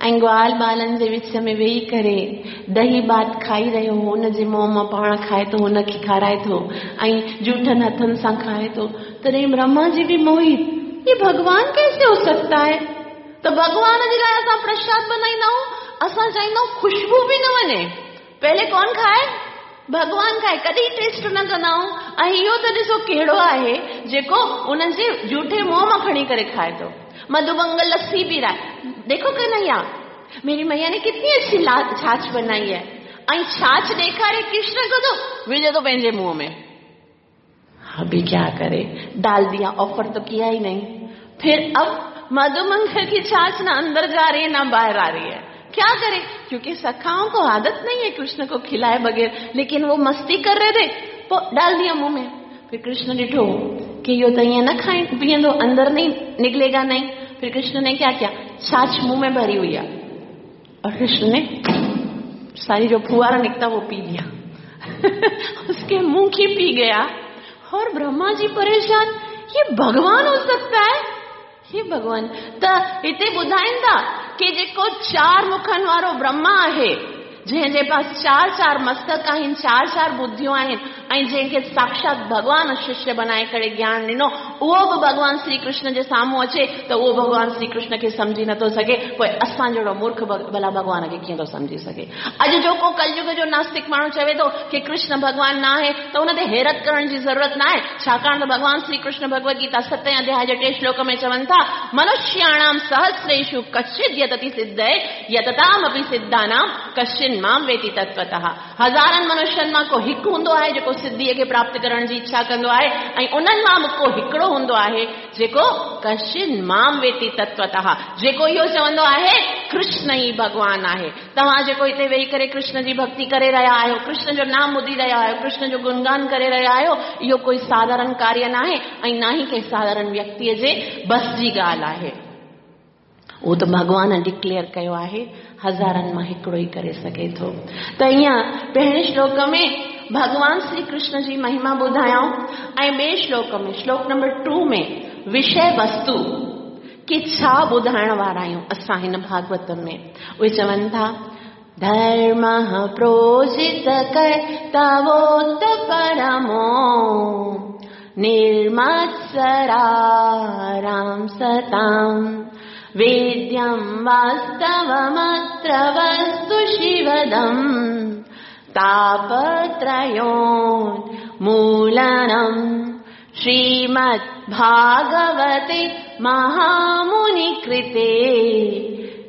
ऐं ग्वाल ॿारनि जे विच में वेही करे दही भात खाई रहियो हो, हुनजे मुंहं मां पाण खाए थो, हुनखे खाराए थो ऐं जूठनि हथनि सां खाए थो, तॾहिं ब्रह्मा जी बि मोहित, ये भॻवान कैसे हो सकता है? त भॻवान जे लाइ असां प्रसाद बनाईंदा आहियूं, असां चाहींदा आहियूं ख़ुशबू बि न वञे, पहले कौन खाए? भॻवान खाए, कॾहिं टेस्ट न कंदा आहियूं। ऐं इहो त ॾिसो कहिड़ो आहे जेको उन्हनि जे जूठे मुंहं मां खणी करे खाए थो। मधुमंगल लस्सी पी रहा है, देखो कन्हैया मेरी मैया ने कितनी अच्छी छाछ बनाई है, ऐं छाछ ॾेखारे कृष्ण को तो विझे थो पंहिंजे मुंहं में। अभी क्या करे, डाल दिया, ऑफर तो किया ही नहीं। फिर अब मधुमंगल की छाछ ना अंदर जा रही है ना बाहर आ रही है, क्या करे? क्योंकि सखाओं को आदत नहीं है कृष्ण को खिलाए बगैर, लेकिन वो मस्ती कर रहे थे, वो डाल दिया मुंह में। फिर कृष्ण ॾिठो कि यो तो ईअं न खाए पीअंदो, अंदर नहीं निकलेगा नहीं। फिर कृष्ण ने क्या किया, छाछ मुंह में भरी हुई है और कृष्ण ने सारी जो फुहारा निकला वो पी लिया उसके मुंह की पी गया। और ब्रह्मा जी परेशान, ये भगवान हो सकता है? हे भगवान। त हिते ॿुधाइनि था कि जेको चार मुखनि वारो ब्रह्मा आहे, जंहिंजे पास चार चार मस्तक आहिनि, चार चार बुद्धियूं आहिनि ऐं जंहिंखे साक्षात भॻवान शिष्य बनाए करे ज्ञान ॾिनो, उहो बि भॻवान श्री कृष्ण जे साम्हूं अचे त उहो भॻवान श्री कृष्ण खे सम्झी नथो सघे। पोइ असां जहिड़ो मूर्ख भला भॻवान खे कीअं थो सम्झी सघे? अॼु जो को कलयुग जो नास्तिक माण्हू चवे थो कि कृष्ण भॻवान न आहे, त उन ते हैरत करण जी ज़रूरत न आहे, छाकाणि त भॻवान श्री कृष्ण भगवद गीता 7 अध्याय जे 3 श्लोक में चवनि था, मनुष्याणां सहस्रेषु कश्चित् यतति सिद्धये यततामपि सिद्धानां कश्चिन् मां वेति तत्वतः। हज़ारनि मनुष्यनि मां को हिकु हूंदो आहे जेको सिद्धीअ खे प्राप्त करण जी इच्छा कंदो आहे ऐं उन्हनि मां बि को हिकिड़ो हूंदो आहे जेको कश्चिन् मां वेति तत्वतः, जेको इहो चवंदो आहे कृष्ण ई भॻवान आहे। तव्हां जेको हिते वेही करे कृष्ण जी भक्ति करे रहिया आहियो, कृष्ण जो नाम ॿुधी रहिया आहियो, कृष्ण जो गुणगान करे रहिया आहियो, इहो कोई साधारण कार्य न आहे ऐं न ई कंहिं साधारण व्यक्तीअ जे बस जी ॻाल्हि आहे। उहो त भॻवान डिक्लेयर कयो आहे, हज़ारनि मां हिकिड़ो ई करे सघे थो। त ईअं पहिरें श्लोक में भॻवान श्री कृष्ण जी महिमा ॿुधायऊं ऐं ॿिए श्लोक में, श्लोक नंबर 2 में विषय वस्तु की छा ॿुधाइण वारा आहियूं असां हिन भागवत में। उहे चवनि था, धर्मः प्रोजित कर्तवोत परमो निर्मत्सरारां सतां वेद्यं वास्तवमत्र वस्तु शिवदं तापत्रयोन्मूलनं श्रीमद्भागवते महामुनिकृते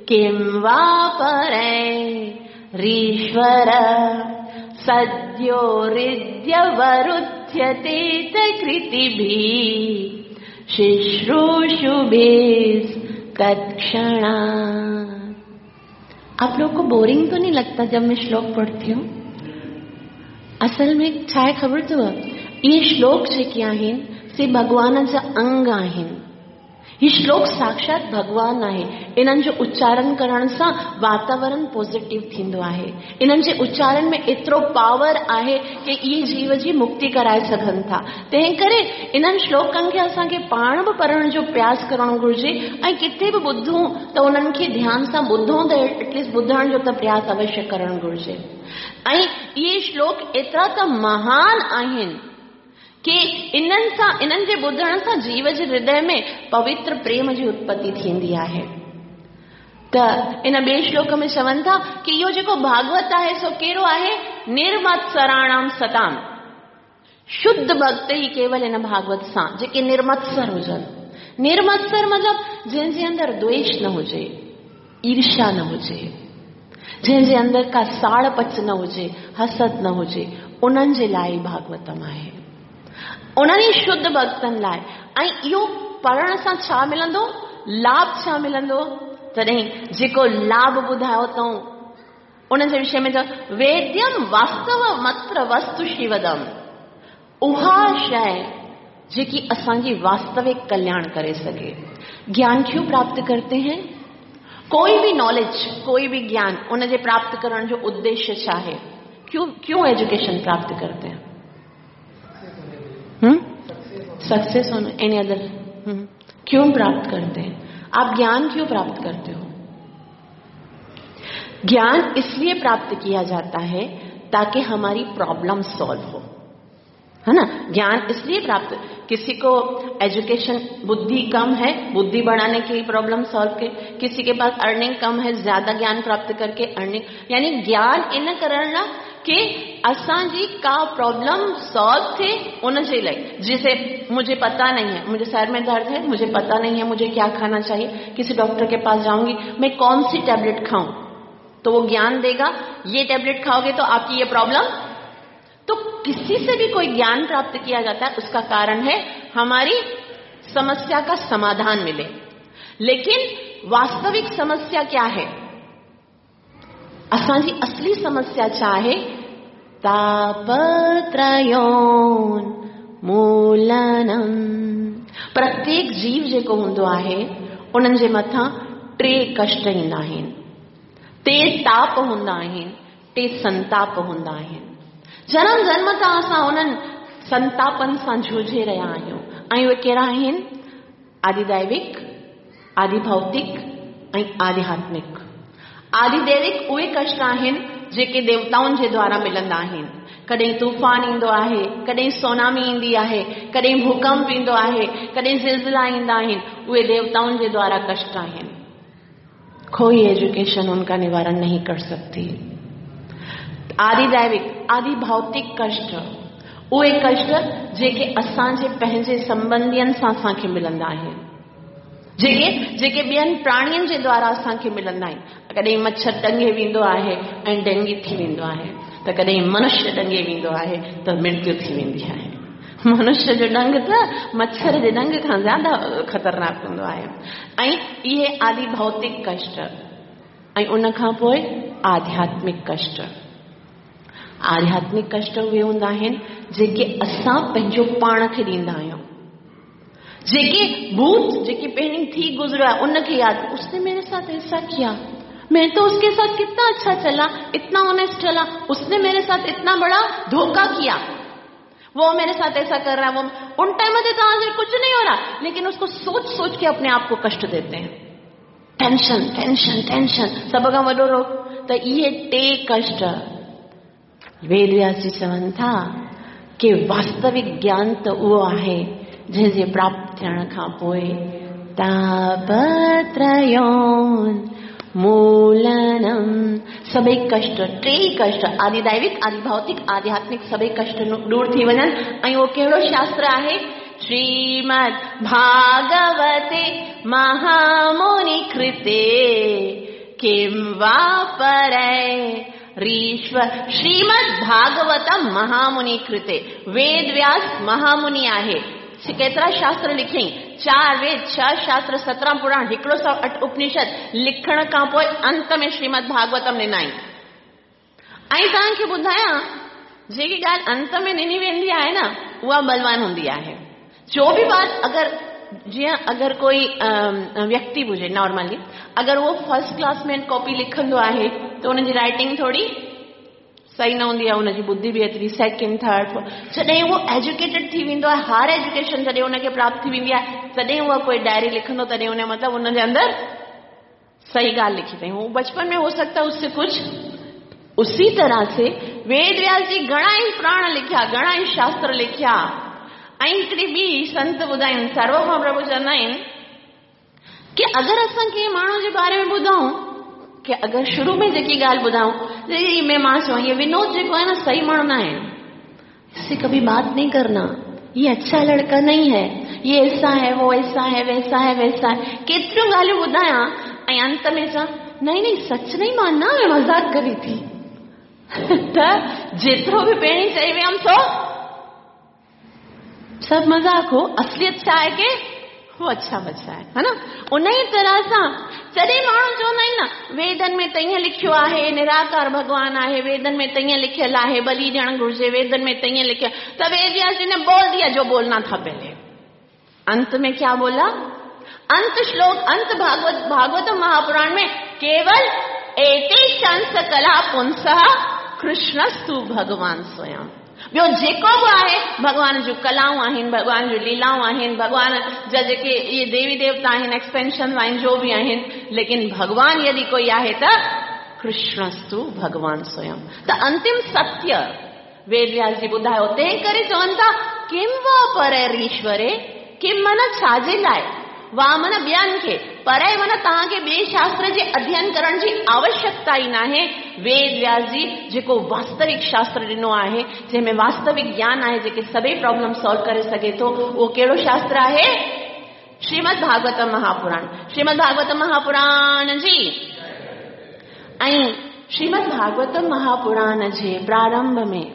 किं वा परैरीश्वर सद्यो हृद्यवरुध्यते कृतिभिः शुश्रूषुभिः तत्क्षणात्। आप लोग को बोरिंग तो नहीं लगता जब मैं श्लोक पढ़ती हूँ? असल में छा आहे ख़बर अथव, इहे श्लोक जेके आहिनि से भॻवान जा अंग आहिनि। ही श्लोक साक्षात भॻवान आहे। इन्हनि जो उच्चारण करण सां वातावरण पॉज़िटिव थींदो आहे। इन्हनि जे उच्चारण में एतिरो पावर आहे कि इहे जीव जी मुक्ति कराए सघनि था। तंहिं करे इन्हनि श्लोकनि खे असांखे पाण बि पढ़ण जो प्रयास करणु घुरिजे ऐं किथे बि ॿुधूं त उन्हनि खे ध्यान सां ॿुधूं त एटलीस्ट ॿुधण जो त प्रयास अवश्य करणु घुरिजे। ऐं इहे श्लोक एतिरा त महान आहिनि कि इन्हनि सां, इन्हनि जे ॿुधण सां जीव जे हृदय में पवित्र प्रेम जी उत्पत्ति थींदी आहे। त इन ॿिए श्लोक में चवनि था कि इहो जेको भागवत आहे सो कहिड़ो आहे? निर्मत्सराणाम सताम। शुद्ध भक्त ई केवल इन भागवत सां जेके निर्मत्सर हुजनि। निर्मत्सर मतलब जंहिंजे अंदरि द्वेष न हुजे, ईर्ष्या न हुजे, जंहिंजे अंदरि का साड़ पच न हुजे, हसद न हुजे, उन्हनि जे लाइ भागवतम आहे, उन्हनि ई शुद्ध भक्तनि लाइ। ऐं इहो पढ़ण सां छा मिलंदो? लाभ छा मिलंदो? तॾहिं जेको लाभ ॿुधायो अथऊं उन जे विषय में चयो वेद्यम वास्तव मत्र वस्तु शिवदम, उहा शइ जेकी असांजी वास्तविक कल्याण करे सघे। ज्ञान क्यों प्राप्त करते हैं? कोई भी नॉलेज, कोई भी ज्ञान, उन जे प्राप्त करण जो उद्देश्य छा आहे? क्यों क्यों एजुकेशन प्राप्त करते हैं? सक्सेस होना, एनी अदर, क्यों प्राप्त करते हैं? आप ज्ञान क्यों प्राप्त करते हो? ज्ञान इसलिए प्राप्त किया जाता है ताकि हमारी प्रॉब्लम सॉल्व हो, है ना। ज्ञान इसलिए प्राप्त, किसी को एजुकेशन बुद्धि कम है, बुद्धि बढ़ाने की प्रॉब्लम सॉल्व के, किसी के पास अर्निंग कम है, ज्यादा ज्ञान प्राप्त करके अर्निंग, यानी ज्ञान इन करण लाइ कि असांजी का प्रॉब्लम सॉल्व थे उन जे लाइ। जिसे मुझे पता नहीं है, मुझे सर में दर्द है, मुझे पता नहीं है मुझे क्या खाना चाहिए, किसी डॉक्टर के पास जाऊंगी, मैं कौन सी टैबलेट खाऊं, तो वो ज्ञान देगा ये टैबलेट खाओगे तो आपकी ये प्रॉब्लम। तो किसी से भी कोई ज्ञान प्राप्त किया जाता है, उसका कारण है हमारी समस्या का समाधान मिले। लेकिन वास्तविक समस्या क्या है? असांजी असली समस्या छा आहे? तापत्रयोन मूलनम। प्रत्येक जीव जेको हूंदो आहे उन्हनि जे मथां टे कष्ट ईंदा आहिनि, टे ताप हूंदा आहिनि, टे संताप हूंदा आहिनि। जनम जन्म तां असां उन्हनि संतापनि सां जूझे रहिया आहियूं। ऐं उहे कहिड़ा आहिनि? आदिदैविक, आदिभौतिक ऐं आध्यात्मिक। आदिदैविक उहे कष्ट आहिनि जेके देवताउनि जे द्वारा मिलंदा आहिनि। कॾहिं तूफ़ान ईंदो आहे, कॾहिं सोनामी ईंदी आहे, कॾहिं भूकंप ईंदो आहे, कॾहिं ज़िलज़िला ईंदा आहिनि, उहे देवताउनि जे द्वारा कष्ट आहिनि। कोई एजुकेशन उनका निवारण नहीं कर सकती। आदिदैविक, आदि भौतिक कष्ट, उहे कष्ट जेके असांजे पंहिंजे संबंधियुनि सां असांखे मिलंदा आहिनि, जेके जेके ॿियनि प्राणियुनि जे द्वारा असांखे मिलंदा आहिनि। कॾहिं मच्छर ॾंगे वेंदो आहे ऐं डेंगी थी वेंदो आहे, त कॾहिं मनुष्य ॾंगे वेंदो आहे त मृत्यु थी वेंदी आहे। मनुष्य जो ॾंग त मच्छर जे ॾंग खां ज़्यादा ख़तरनाक हूंदो आहे। ऐं इहे आदि भौतिक कष्ट ऐं उन खां पोइ आध्यात्मिक कष्ट। आध्यात्मिक कष्ट उहे हूंदा आहिनि जेके असां पंहिंजो पाण खे ॾींदा आहियूं, जेके भूत जेके पहिरीं थी गुज़रियो आहे उनखे यादि, उसने मेरे साथ ऐसा किया, मैं तो उसके साथ कितना अच्छा चला, इतना ऑनेस्ट चला, उसने मेरे साथ इतना बड़ा धोखा किया, वो मेरे साथ ऐसा कर रहा है, वो उन टाइम में तो आज कुछ नहीं हो रहा, लेकिन उसको सोच सोच के अपने आप को कष्ट देते हैं। टेंशन टेंशन टेंशन सभ खां वॾो रोग। त इहे टे कष्ट वेद व्यास जी चवनि था कि वास्तविक ज्ञान त उहो आहे जंहिंजे प्राप्त थियण खां पोइ तापत्रयोन मूलनम, सभई कष्ट, टे कष्ट, आदिदैविक, आदिभौतिक, आध्यात्मिक, सभई कष्ट दूर थी वञनि। ऐं उहो कहिड़ो शास्त्र आहे? श्रीमद् भागवते महामुनि कृते किं वा परै रीश्वर। श्रीमद् भागवतम महामुनि कृते, वेद व्यास महामुनि आहे। केतिरा शास्त्र लिखियईं? 4 वेद, 6 शास्त्र, 17 पुराण, 108 उपनिषद लिखण खां पोइ अंत में श्रीमद् भागवतम ॾिनई। ऐं तव्हांखे ॿुधायां, जेकी ॻाल्हि अंत में ॾिनी वेंदी आहे न, उहा बलवान हूंदी आहे। जो भी बात अगरि जीअं अगरि कोई व्यक्ति हुजे नॉर्मली, अगरि उहो फर्स्ट क्लास में कॉपी लिखंदो आहे त उनजी राइटिंग थोरी सही न हूंदी आहे, उनजी बुद्धि बि एतिरी सेकंड थर्ड फोर्थ। जॾहिं उहो एजुकेटेड थी वेंदो आहे, हायर एजुकेशन जॾहिं उनखे प्राप्त थी वेंदी आहे, तॾहिं उहा कोई डायरी लिखंदो, तॾहिं उन मतिलबु उनजे अंदरि सही ॻाल्हि लिखी अथई। वो बचपन में हो सकता है उससे कुछ। उसी तरह से वेद व्यास जी घणा ई पुराण लिखिया, घणा ई शास्त्र लिखिया। ऐं हिकिड़ी ॿी संत ॿुधाइनि, सर्वभौम प्रभु चवंदा आहिनि कि अगरि असां कंहिं माण्हू जे बारे में ॿुधूं, कि अगरि शुरू में जेकी ॻाल्हि ॿुधाऊं, में मां चवां ये विनोद जेको आहे न सही माण्हू न आहे, इससे कभी बात नहीं करना, ये अच्छा लड़का नहीं है, ये ऐसा है, वो ऐसा है, वैसा है, वैसा है, केतिरियूं ॻाल्हियूं ॿुधायां ऐं अंत में चवां नहीं नहीं, सच नहीं मानना, मैं मज़ाक कर रही थी। त जेतिरो बि पहिरीं चई वियमि सो सभु मज़ाक हो, असलियत छा आहे की वो अच्छा बच्चा आहे, है न? उन ई तरह सां जॾहिं माण्हू चवंदा आहिनि न, वेदनि में त ईअं लिखियो आहे, निराकार भॻवान आहे, वेदनि में त ईअं लिखियलु आहे, बलि ॾियणु घुर्जे, वेदनि में त ईअं लिखियल, त वेद व्यास जी ने बोल दिया जो बोलना था पहले। अंत में क्या बोला? अंत श्लोक, अंत भागवत, भागवत महापुराण में केवल एते शंस कला पुंसः कृष्णस्तु भगवान स्वयं। ॿियो जेको बि आहे भॻवान जूं कलाऊं आहिनि, भॻवान जूं लीलाऊं आहिनि, भॻवान जा जेके इहे देवी देवता आहिनि, एक्सपेंशन आहिनि, जो बि आहिनि, लेकिन भॻवान यदि कोई आहे त कृष्णस्तु भगवान स्वयं। त अंतिम सत्य वेद व्यास जी ॿुधायो, तंहिं करे चवनि था किम वा परैरीश्वरे, किम माना छाजे लाइ, वा माना ॿियनि खे, पर माना तव्हांखे ॿिए शास्त्र जे अध्ययन करण जी आवश्यकता ई नाहे। वेद व्यास जी जेको वास्तविक शास्त्र ॾिनो आहे, जंहिंमें वास्तविक ज्ञान आहे, जेके सभई प्रॉब्लम सॉल्व करे सघे थो, उहो कहिड़ो शास्त्र आहे? श्रीमद् भागवत महापुराण। श्रीमद् भागवत महापुराण जी। ऐं श्रीमद् भागवत महापुराण जे प्रारंभ में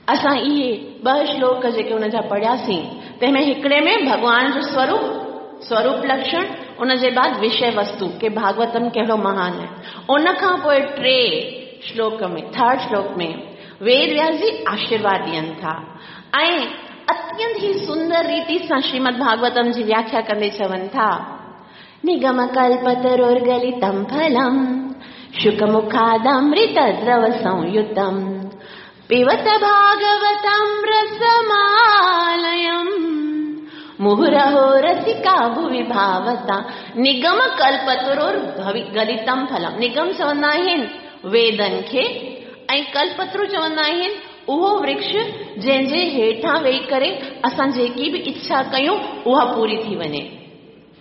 असां इहे ॿ श्लोक जेके हुनजा पढ़ियासीं, तंहिंमें हिकिड़े में भॻवान जो स्वरूप, स्वरूप लक्षण, उन जे बाद विषय वस्तु के भागवतम कहिड़ो महान आहे। उन खां पोइ टे श्लोक में, थर्ड श्लोक में वेद व्यास जी आशीर्वाद ॾियनि था ऐं अत्यंत ई सुंदर रीति सां श्रीमद् भागवतम जी व्याख्या कंदे चवनि था, निगम कल्पतरोर्गलितं फलं शुकमुखादमृतद्रव संयुतं पिबत भागवतं रसमालयम् मुहुरहो रसिका भुवि भावता। निगम कल्पतरोर गलितं फलम। निगम चवंदा आहिनि वेदनि खे ऐं कल्पतरु चवंदा आहिनि उहो वृक्ष जंहिंजे हेठां वेही करे असां जेकी बि इच्छा कयूं उहा पूरी थी वञे,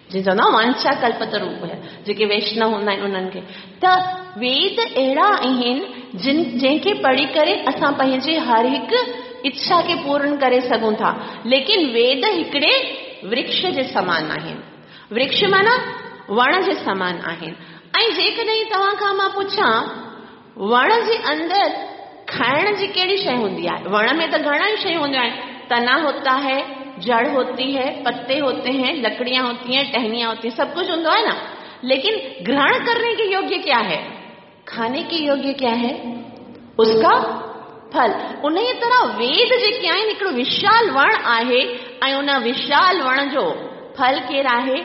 जीअं चवंदा वांछा कल्पतरु, जेके वैष्णव हूंदा आहिनि उन्हनि खे। त वेद अहिड़ा आहिनि जिन जंहिंखे पढ़ी करे असां पंहिंजे हर हिकु इच्छा खे पूर्ण करे सघूं था, लेकिन वेद हिकिड़े वृक्ष जे समान आहिनि। वृक्ष माना वण जे समान आहिनि। ऐं जेकॾहिं तव्हां खां मां पुछां, वण जे अंदरि खाइण जी कहिड़ी शइ हूंदी आहे? वण में त घणा ई शयूं हूंदियूं आहिनि, तना होता है, जड़ होती है, पत्ते होते हैं, लकड़ियां होती हैं, टहनियां होती हैं, सब कुछ हूंदो आहे ना, लेकिन ग्रहण करने के योग्य क्या है? खाने के योग्य क्या है? उसका फल। उन ई तरह वेद जेके आहिनि हिकिड़ो विशाल वण आहे ऐं उन विशाल वण जो फल केरु आहे?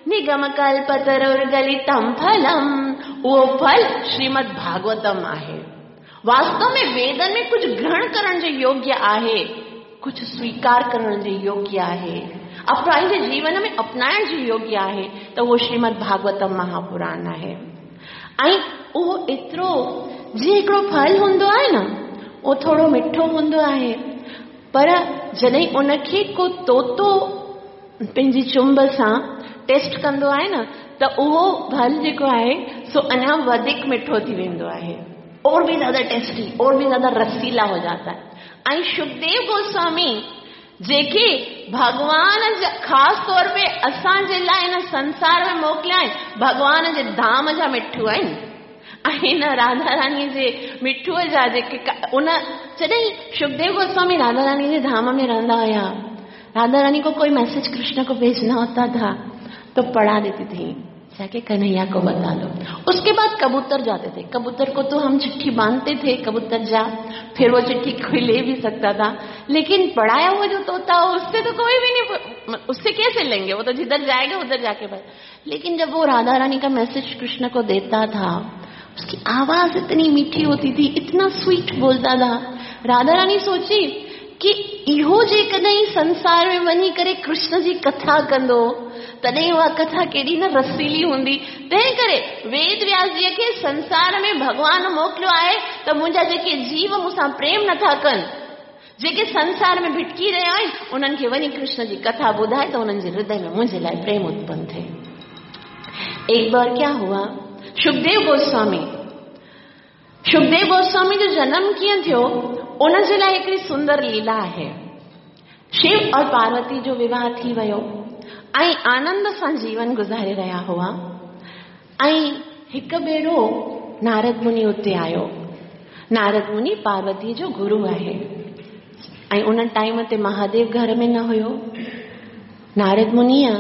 निगम कल्पतरुर्गलितं फलम, उहो फल श्रीमद् भागवतम आहे। वास्तव में वेदनि में कुझु ग्रहण करण जे योग्य आहे, कुझु स्वीकार करण जे योग्य आहे, पंहिंजे जीवन में अपनाइण जे योग्य आहे, त उहो श्रीमद् भागवतम महापुराण आहे। ऐं उहो एतिरो जीअं हिकिड़ो फल हूंदो आहे न, उहो थोरो मिठो हूंदो आहे, पर जॾहिं उनखे को तोतो पंहिंजी चुंब सां टेस्ट कंदो आहे न, त उहो फल जेको आहे सो अञा वधीक मिठो थी वेंदो आहे, और भी ज़्यादा टेस्टी, और भी ज़्यादा रसीला हो जाता है। ऐं सुखदेव गोस्वामी जेके भॻवान ख़ासि तौर ते असांजे लाइ हिन संसार में मोकिलिया आहिनि, भॻवान जे धाम जा मिठू आहिनि ऐं हिन राधा रानी जे मिठूअ जा जेके उन जॾहिं सुखदेव गोस्वामी राधा रानी जे धाम में रहंदा हुया, राधा रानी को कोई मैसेज कृष्ण को भेजना होता था तो पढ़ा देती थी, जाके कन्हैया को बता दो। उसके बाद कबूतर जाते थे, कबूतर को तो हम चिट्ठी बांधते थे, कबूतर जा, फिर वो चिट्ठी कोई ले भी सकता था, लेकिन पढ़ाया हुआ जो तोता हो उससे तो कोई भी नहीं, उससे कैसे लेंगे, वो तो जिधर जाएगा उधर जाके बस। लेकिन जब वो राधा रानी का मैसेज कृष्ण को देता था, उसकी आवाज इतनी मीठी होती थी, इतना स्वीट बोलता था। राधा रानी सोची कि इहो जेकॾहिं संसार में वञी करे कृष्ण जी कथा कंदो, तॾहिं उहा कथा केॾी न रसीली हूंदी। तंहिं करे वेद व्यास जीअ खे संसार में भॻवान मोकिलियो आहे त मुंहिंजा जेके जीव मूंसां प्रेम नथा कनि, जेके संसार में भिटकी रहिया आहिनि, उन्हनि खे वञी कृष्ण जी कथा ॿुधाए त उन्हनि जे हृदय में मुंहिंजे लाइ प्रेम उत्पन्न थिए। एक बार क्या हुआ, सुखदेव गोस्वामी जो जन्म कीअं थियो, उन जे लाइ हिकिड़ी सुंदर लीला आहे। शिव और पार्वती जो विवाह थी वियो ऐं आनंद सां जीवन गुज़ारे रहिया हुआ ऐं हिकु भेरो नारद मुनि उते आयो। नारद मुनि पार्वती जो गुरु आहे ऐं उन टाइम ते महादेव घर में न हुयो। नारद मुनीअ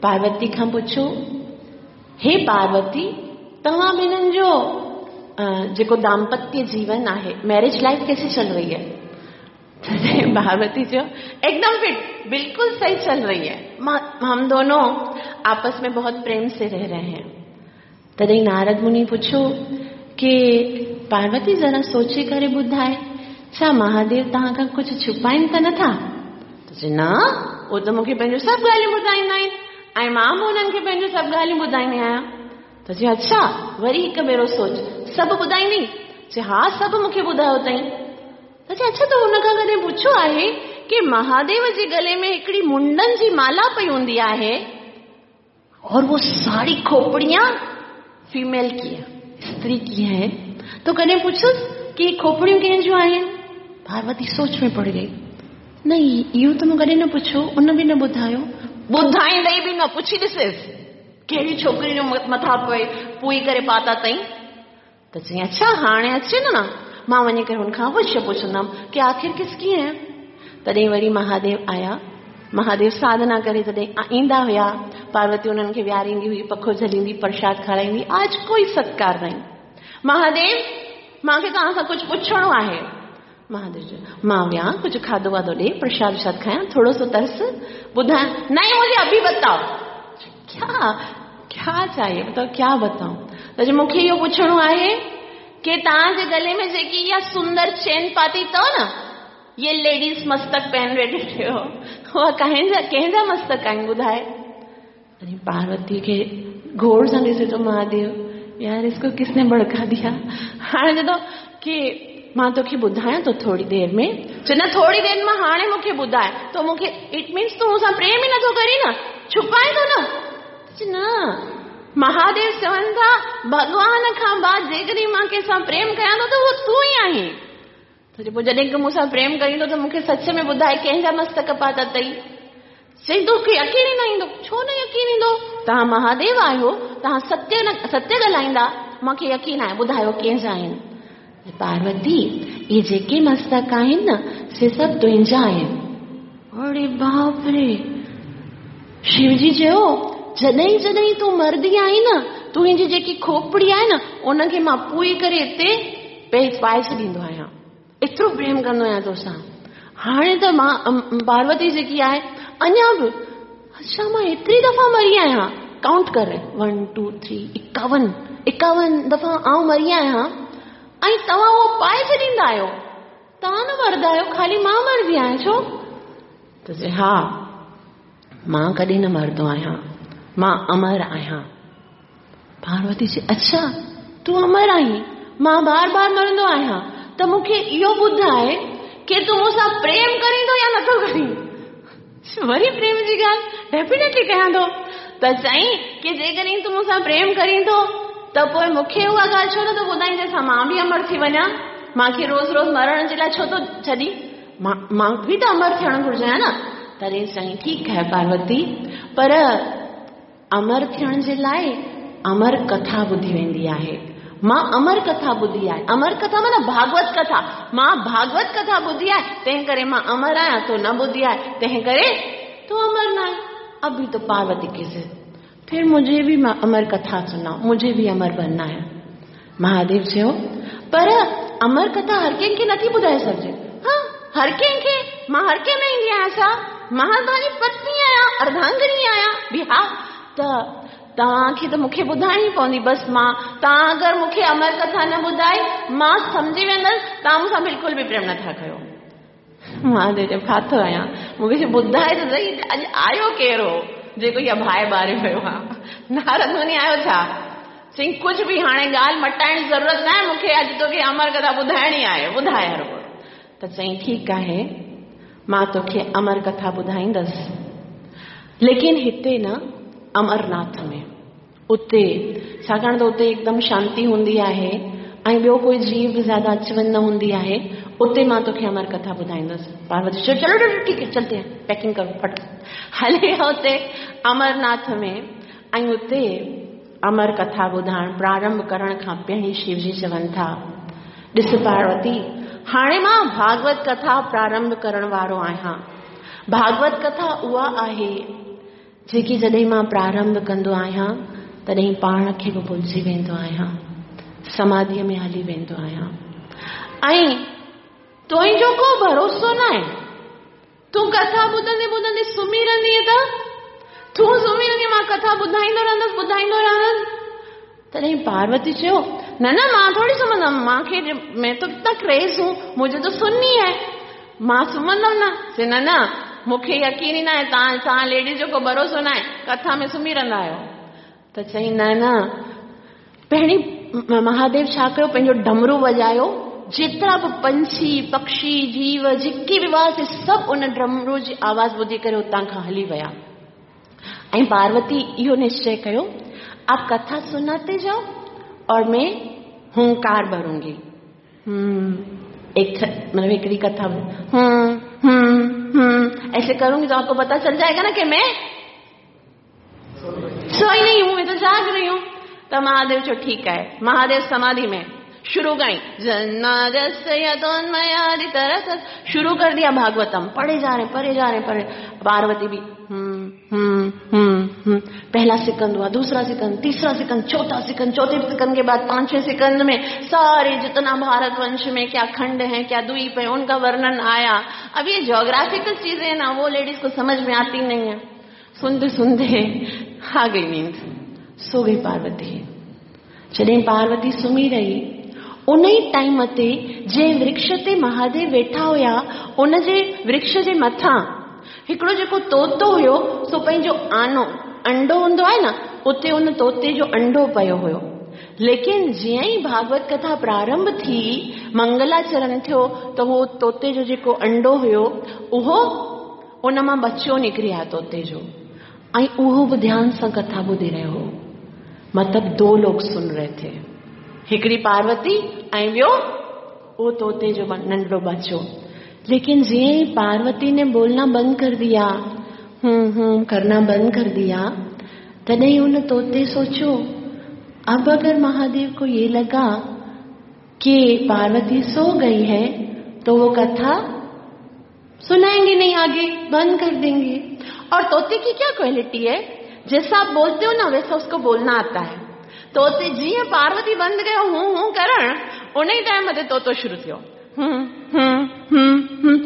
पार्वती खां पुछियो, हे पार्वती, तव्हां ॿिन्हिनि जो जेको दाम्पत्य जीवन आहे, मैरिज लाइफ कैसी चल रही है? पार्वती जो एकदम फिट, बिल्कुल सही चल रही है, हम दोनों आपस में बहुत प्रेम से रह रहे हैं। तॾहिं नारद मुनि पुछियो कि पार्वती ज़रा सोचे करे ॿुधाए, छा महादेव तव्हां खां कुझु छुपाइनि त नथा? त चए न, उहो त मूंखे पंहिंजो सभु ॻाल्हियूं ॿुधाईंदा आहिनि ऐं मां बि हुननि खे पंहिंजो सभु ॻाल्हियूं ॿुधाईंदी आहियाँ। त चए अच्छा, वरी हिकु भेरो सोच, सभु ॿुधाईंदी? चए हा, सभु मूंखे ॿुधायो अथई। त चए अच्छा, त हुन खां कॾहिं पुछियो आहे कि महादेव जे गले में हिकिड़ी मुंडनि जी माला पई हूंदी आहे और वो सारी खोपड़ियां फीमेल की है, स्त्री की है, तो कॾहिं पुछोसि कि खोपड़ियूं कंहिंजूं आहिनि? पार्वती सोच में पड़ गई, न इहो त मूं कॾहिं न पुछियो, उन बि न ॿुधायो, ॿुधाईंदई बि न, पुछी ॾिसेसि कहिड़ी छोकिरी जो मथां पए पुई करे पाता अथई। त चई अच्छा, हाणे अचे न, मां वञी करे हुनखां अवश्य पुछंदमि कि आख़िर किसकी है। तॾहिं वरी महादेव आया, महादेव साधना करे तॾहिं ईंदा हुया, पार्वती उन्हनि खे विहारींदी हुई, पखो झलींदी, प्रसाद खाराईंदी। आज कोई सत्कार नहीं। महादेव, मूंखे तव्हां सां कुझु पुछणो आहे। महादेव चयो, मां विया, कुझु खाधो वाधो ॾे, प्रसाद वरसाद खायां, थोरो सो तरस, ॿुधायां। नहीं, मुझे अभी बताओ, क्या क्या चाहिए, बताओ, क्या बताऊं? त मूंखे इहो पुछणो आहे कि तव्हांजे गले में जेकी इहा सुंदर चेन पाती अथव न, ये लेडीज़ मस्तक पहन वेठी हो, उहा कंहिंजा मस्तक आहिनि ॿुधाए? अरे पार्वती खे घोर सां ॾिसे थो महादेव, यार इसको किसने भड़का दिया। हाणे चए थो कि मां तोखे ॿुधायां थो थोरी देरि में। चए न, थोरी देरि मां हाणे मूंखे ॿुधाए। तो मूंखे it means तूं मूंसां प्रेम ई नथो करी न, छुपाए थो न। चए न, महादेव चवनि था भॻवान खां बाद जेकॾहिं मां कंहिंसां प्रेम कयां थो त उहो तूं ई आहीं। त पोइ जॾहिं मूंसां प्रेम करींदो त मूंखे सच में ॿुधाए कंहिंजा मस्तक पाता अथई। चई तोखे यकीन ई न ईंदो। छो न यकीन ईंदो? तव्हां महादेव आहियो, तव्हां सत्य न सत्य ॻाल्हाईंदा, मूंखे यकीन आहे, ॿुधायो कंहिंजा आहिनि? पार्वती, इहे जेके मस्तक आहिनि न, से सभु तुंहिंजा आहिनि। अरे बाप रे! शिवजी चयो, जॾहिं जॾहिं तूं मरदी आहीं न, तुंहिंजी जेकी खोपड़ी आहे न, उनखे मां पुई करे हिते पाए छॾींदो आहियाँ, एतिरो प्रेम कंदो आहियाँ तोसां। हाणे त मां पार्वती जेकी आहे अञा बि, अच्छा मां एतिरी दफ़ा मरी आहियाँ, काउंट कर 1 2 3 51 दफ़ा आउं मरी आहियाँ ऐं तव्हां उहो पाए छॾींदा आहियो, तव्हां न मरंदा आहियो, ख़ाली मां मरदी आहियाँ छो? त चए हा, मां कॾहिं न मरंदो आहियाँ, मां अमर आहियाँ। पार्वती चए अच्छा, तूं अमर आहीं, मां बार बार मरंदो आहियाँ, त मूंखे इहो ॿुधाए कि तूं मूंसां प्रेम करीं थो या नथो करीं? वरी प्रेम जी ॻाल्हि डेफिनेटली कयां थो। त चई कि जेकॾहिं तूं मूंसां प्रेम करीं थो त पोइ मूंखे उहा ॻाल्हि छो नथो ॿुधाईं जंहिंसां मां बि अमर थी वञा? मूंखे रोज़ रोज़ मरण जे लाइ छो थो छॾी? मां बि त अमर थियणु घुर्जां न। तॾहिं चई ठीकु आहे पार्वती, पर अमर थियण जे लाइ अमर कथा ॿुधी वेंदी आहे। मां अमर कथा ॿुधी आहे, अमर कथा माना भागवत कथा, मां भागवत कथा ॿुधी आहे, तंहिं करे मां अमर आहियाँ, तो न ॿुधी आहे तंहिं करे तूं अमर न आहे। अभी तो पार्वती के फिर मुझे भी अमर कथा सुनाओ, मुझे भी अमर बनना है। महादेव चयो, पर अमर कथा हर कंहिंखे नथी ॿुधाए सघिजे। हा, हर कंहिंखे? मां हर कंहिं में ईंदी आहियाँ छा? मां तव्हांजी पत्नी आहियाँ, अर्धांगिनी आहियाँ बि। हा, त तव्हांखे त मूंखे ॿुधाइणी पवंदी। बसि मां, तव्हां अगरि मूंखे अमर कथा न ॿुधाई, मां सम्झी वेंदसि तव्हां मूंसां बिल्कुलु बि प्रेम नथा कयो। महादेव चयो, फाथो आहियाँ, मूंखे ॿुधाए त सही, अॼु आयो कहिड़ो जेको इहा बाहि ॿारे वियो आहे? नारद मुनि आयो छा? चई कुझु बि हाणे ॻाल्हि मटाइण जी ज़रूरत न आहे, मूंखे अॼु तोखे अमर कथा ॿुधाइणी आहे, ॿुधाए हर। त चई ठीकु आहे, मां तोखे अमर कथा ॿुधाईंदसि, लेकिन हिते न अमरनाथ में, उते छाकाणि त उते एकदम शांति हूंदी आहे ऐं ॿियो कोई जीव बि ज़्यादा अच वञ न हूंदी आहे, उते मां तोखे अमर कथा ॿुधाईंदसि। पार्वती चयो, चलो ठीक है, चलते हैं, पैकिंग करो फट। हले विया उते अमरनाथ में ऐं उते अमर कथा ॿुधाइण प्रारंभ करण खां पहिरीं शिवजी चवनि था, ॾिस पार्वती, हाणे मां भागवत कथा प्रारंभ करण वारो आहियां। भागवत कथा उहा आहे जेकी जॾहिं मां प्रारंभ कंदो आहियां तॾहिं पाण खे बि भुलिजी वेंदो आहियां, समाधीअ में हली वेंदो आहियां। ऐं तुंहिंजो को भरोसो न आहे, तूं कथा ॿुधंदे ॿुधंदे सुम्ही रहंदीअ त तूं सुम्ही रहंदी, मां कथा ॿुधाईंदो रहंदुसि ॿुधाईंदो रहंदुसि। तॾहिं पार्वती चयो, न न मां थोरी सुम्हंदमि, मूंखे मैं तो कितना क्रेज़ हूँ, मुझे तो सुननी है, मां सुम्हंदमि न। चए न न मूंखे यकीन ई न आहे, तव्हां लेडीज़ जो को भरोसो न आहे, कथा में सुम्ही रहंदा आहियो। त चई न न। पहिरीं महादेव छा कयो, पंहिंजो डमरू वॼायो, जेतिरा बि पंछी पक्षी जीव जेके बि हुआसीं सभु उन डमरू जी आवाज़ ॿुधी करे उतां खां हली विया। ऐं पार्वती इहो निश्चय कयो, आप कथा सुनाते जाओ और मैं हुंकार भरूंगी। एक मतलब हिकिड़ी कथा ऐसे करूंगी तो आपको पता चल जाएगा ना कि मैं सोई नहीं हूं, मैं तो जाग रही हूं। तो महादेव चयो ठीक है, महादेव समाधि में शुरू गई, शुरू कर दिया भागवतम, पढ़े जा रहे पढ़े जा रहे पढ़े। पार्वती भी पहला सिकंद हुआ, दूसरा सिकंद, तीसरा सिकंद, चौथा सिकंद, चौथे सिकंद के बाद पांचवें सिकंद में सारे जितना भारतवंश में क्या खंड है क्या द्वीप है उनका वर्णन आया। अब ये ज्योग्राफिकल चीजें है ना, वो लेडीज को समझ में आती नहीं है। सुनते सुनते आ गई नींद, सो गई पार्वती। जॾहिं पार्वती सुम्ही रही, उन ई टाइम ते जंहिं वृक्ष ते महादेव वेठा हुया उन जे वृक्ष जे मथां हिकिड़ो जेको तोतो हुयो सो पंहिंजो आनो अंडो हूंदो आहे न, उते उन तोते जो अंडो पियो हुयो। लेकिन जीअं ई भागवत कथा प्रारंभ थी, मंगलाचरण थियो, त उहो तोते जो जेको अंडो हुयो उहो उन मां बच्चो निकिरी आयो तोते जो, ऐं उहो बि ध्यान सां कथा ॿुधी रहियो हो। मतलब दो लोग सुन रहे थे, हिकिड़ी पार्वती ऐं ॿियो उहो तोते जो नंढड़ो बच्चो। लेकिन जीअं ई पार्वती ने बोलना बंद कर दिया, हूं करना बंद कर दिया, तॾहिं उन तोते सोचो, अब अगर महादेव को ये लगा कि पार्वती सो गई है तो वो कथा सुनाएंगे नहीं, आगे बंद कर देंगे। और तोते की क्या क्वालिटी है, जैसा आप बोलते हो ना वैसा उसको बोलना आता है। तोते जीअं पार्वती बंद कयो हूं हूं करण, उन ई टाइम ते तोतो शुरू थियो हूं हूं हूं हूं।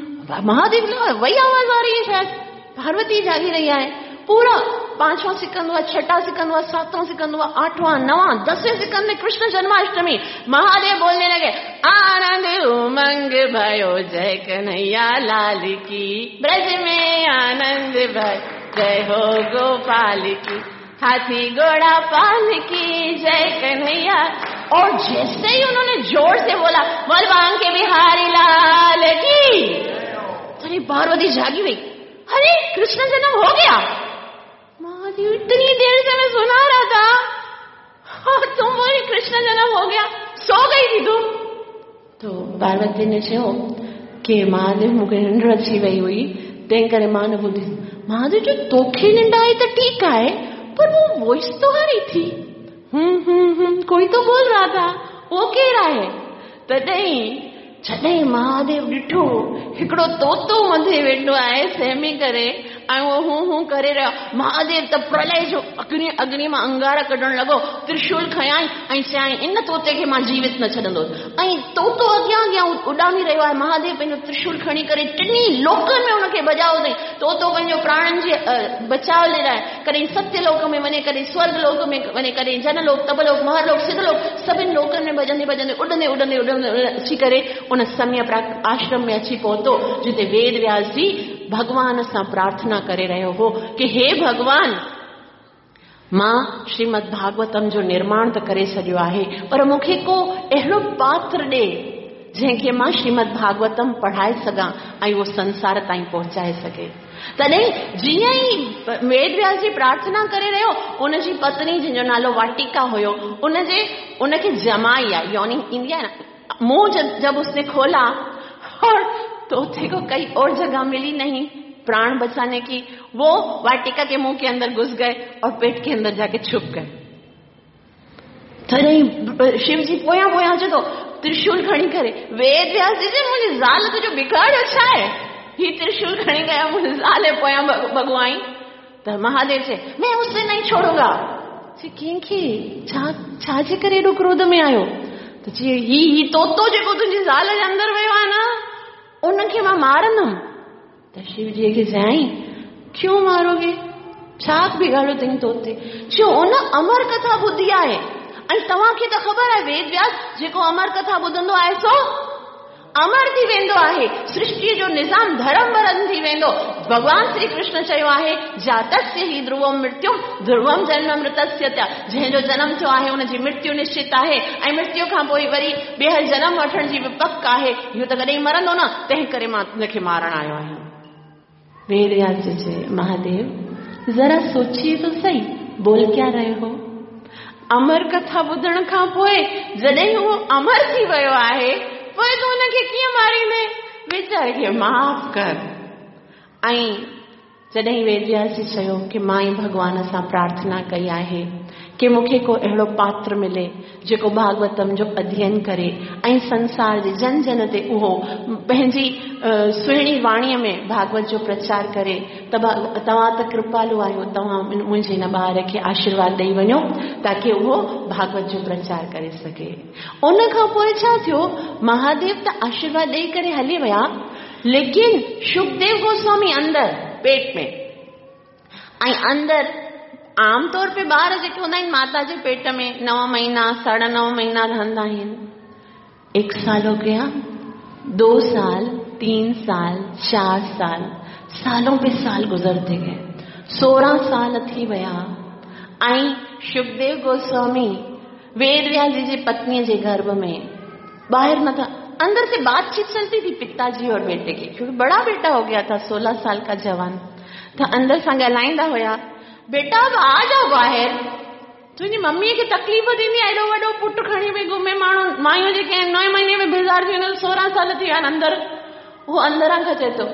महादेव वही आवाज आ रही है, शायद पार्वती जागी रही है। पूरा पांचवा सिकंद हुआ, छठा सिकंद हुआ, सातवां सिकंद हुआ, आठवां, नवां, दसवें सिकंद में कृष्ण जन्माष्टमी। महादेव बोलने लगे, आनंद उमंग भयो जय कन्हैया लाल की, ब्रज में आनंद भयो जय हो गोपाल की, हाथी घोड़ा पाल की जय कन्हैया। और जैसे ही उन्होंने जोर से बोला बोल बांके बिहारी लाल की, अरे पार्वती जागी गई, अरे कृष्ण जन्म हो गया। महादेव इतनी देर से मैं सुना रहा था और तुम बोली कृष्ण जन्म हो गया, सो गई थी तुम। तो पार्वती ने चयो कि महादेव मूंखे निंड अची वई हुई, तंहिं करे मां न ॿुधी। महादेव चयो तोखे निंड आई त ठीकु आहे, पर वो वॉइस तो आ रही थी, कोई तो बोल रहा था, वो केरु आहे? तॾहिं जॾहिं महादेव ॾिठो हिकिड़ो तोतो मथे वेठो आहे सहमी करे ऐं उहो हूं हूं करे रहियो। महादेव त प्रलय जो अग्नि अग्नि मां अंगारा कढण लॻो, त्रिशूल खयाई ऐं चयाई इन तोते खे मां जीवित न छॾंदुसि। ऐं तोतो अॻियां अॻियां उॾामी रहियो आहे। महादेव पंहिंजो त्रिशूल खणी करे टिन्ही लोकनि में हुनखे भॼायो अथई। तोतो पंहिंजो प्राणनि जे बचाव जे लाइ कॾहिं सत्यलोक में वञे, कॾहिं स्वर्ग लोक में वञे, कॾहिं जनलोक, तपलोक, महरलोक, सिद्धलोक, सभिनी लोकनि में भॼंदे भॼंदे उॾंदे उॾंदे उॾंदे अची करे उन सम्य आश्रम में अची पहुतो, जिते वेद व्यास जी भॻवान सां प्रार्थना करे रहियो हो कि हे भॻवान, मां श्रीमद भागवतम जो निर्माण त करे छॾियो आहे, पर मूंखे को अहिड़ो पात्र ॾे जंहिंखे मां श्रीमद भागवतम पढ़ाए सघां ऐं उहो संसार ताईं पहुचाए सघे। तॾहिं जीअं ई वेद व्यास जी प्रार्थना करे रहियो, उनजी पत्नी जंहिंजो नालो वाटिका हुयो, उनखे जमाई आई, यॉनिंग ईंदी आहे न, मुंह जब उसने खोला और तोते को कई और जगह मिली नहीं प्राण बचाने की, वो वाटिका के मुंह के अंदर घुस गए और पेट के अंदर जाके छुप गए। तॾहिं शिवजी पोयां पोयां अचे थो त्रिशूल खणी करे। वेद व्यास जी चए, मुंहिंजी ज़ाल तुंहिंजो बिगाड़ियो छा आहे? ही त्रिशूल खणी गया, मुंहिंजी ज़ाल जे पोयां भॻो आई। त महादेव चए, मैं उसे नहीं छोड़ूंगा। चए, कंहिंखे? छा छाजे करे एॾो क्रोध में आयो? त चए, ही ही तोतो जेको तुंहिंजी ज़ाल जे अंदरि वियो आहे न, उनखे मां मारंदुमि। त शिवजीअ खे चयाईं, क्यों मारोगे? छा बिगाड़ियो अथई तोते? चयो, उन अमर कथा ॿुधी आहे ऐं तव्हांखे त ख़बर आहे वेद व्यास, जेको अमर कथा ॿुधंदो आहे सो अमर थी वेंदो आहे, सृष्टीअ जो निज़ाम धर्म भरम थी वेंदो। भॻवान श्री कृष्ण चयो आहे, जातस्य ही ध्रुवम मृत्यु ध्रुवम जन्म मृतस्य त, जंहिंजो जनम थियो आहे उनजी मृत्यु निश्चित आहे ऐं मृत्यु खां पोइ वरी ॿीहर जनम वठण जी बि पक आहे। इहो त कॾहिं मरंदो न, तंहिं करे मां हुनखे मारण आयो आहियां। वेद व्यास जी चए, महादेव ज़रा सोचिए तो सही, बोल क्या रहे हो? अमर कथा ॿुधण खां पोइ जॾहिं उहो अमर थी वियो आहे, पोइ तूं हुनखे कीअं मारींदे? वीचारे खे माफ़ कर। ऐं जॾहिं वेद व्यास जी चयो की मां ई भॻवान सां प्रार्थना कई आहे की मूंखे को अहिड़ो पात्र मिले जेको भागवतम जो अध्ययन करे ऐं संसार जे जन जन ते उहो पंहिंजी सुहिणी वाणीअ में भागवत जो प्रचार करे, त तव्हां त कृपालु आहियो, तव्हां मुंहिंजे हिन ॿार खे आशीर्वाद ॾेई वञो ताकी उहो भागवत जो प्रचार करे सघे। उन खां पोइ छा थियो, महादेव त आशीर्वाद ॾेई करे हली विया, लेकिन सुखदेव गोस्वामी अंदरि पेट में ऐं अंदरि आम तौर पे ॿार जेके हूंदा आहिनि माता जे पेट में 9 महीना 9.5 महीना रहंदा आहिनि। 1 साल हो गया, 2 साल, 3 साल, 4 साल, सालों पे साल गुजरते गए, 16 साल थी विया ऐं सुखदेव गोस्वामी वेद व्यास जी जे पत्नीअ जे गर्भ में ॿाहिरि नथा, अंदर से बातचीत चलती थी पिताजी और बेटे की, क्योंकि बड़ा बेटा हो गया था, 16 साल का जवान त अंदर सां ॻाल्हाईंदा हुया, बेटा अब आ जाओ ॿाहिरि, तुंहिंजी मम्मीअ खे तकलीफ़ थींदी आहे, एॾो वॾो पुटु खणी पई घुमे माण्हू, मायूं जेके आहिनि 9 महीने में बेज़ार थी वञनि, 16 साल थी विया आहिनि अंदरि। उहो अंदरां खां चए थो,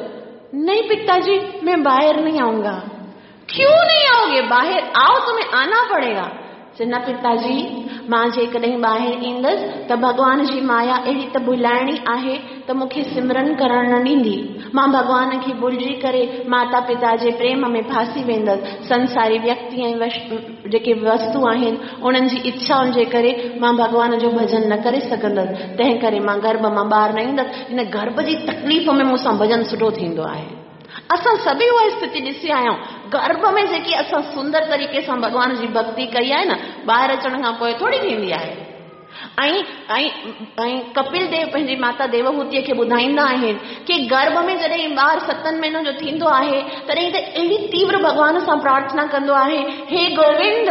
नहीं पिताजी मैं बाहर नहीं आऊंगा। क्यों नहीं आओगे? बाहर आओ, तुम्हें आना पड़ेगा। चए, न पिताजी, मां जेकॾहिं ॿाहिरि ईंदसि त भॻवान जी माया अहिड़ी त भुलाइणी आहे त मूंखे सिमरन करण न ॾींदी, मां भॻवान खे भुलिजी करे माता पिता जे प्रेम में फासी वेंदसि, संसारी व्यक्ति ऐं जेके वस्तु आहिनि उन्हनि जी इच्छाउनि जे करे मां भॻवान जो भॼन न करे सघंदसि, तंहिं करे मां गर्भ मां ॿाहिरि न ईंदसि। हिन गर्भ जी तकलीफ़ में मूंसां भॼन सुठो थींदो आहे। असां सभई उहा स्थिति ॾिसी आया आहियूं, गर्भ में जेकी असां सुंदर तरीक़े सां भॻवान जी भक्ति कई आहे न, ॿाहिरि अचण खां पोइ थोरी थींदी आहे। ऐं ऐं ऐं कपिल देव पंहिंजी माता देवहूतीअ खे ॿुधाईंदा आहिनि की गर्भ में जॾहिं ॿार 7 महीननि जो थींदो आहे तॾहिं त अहिड़ी तीव्र भॻवान सां प्रार्थना कंदो आहे, हे गोविंद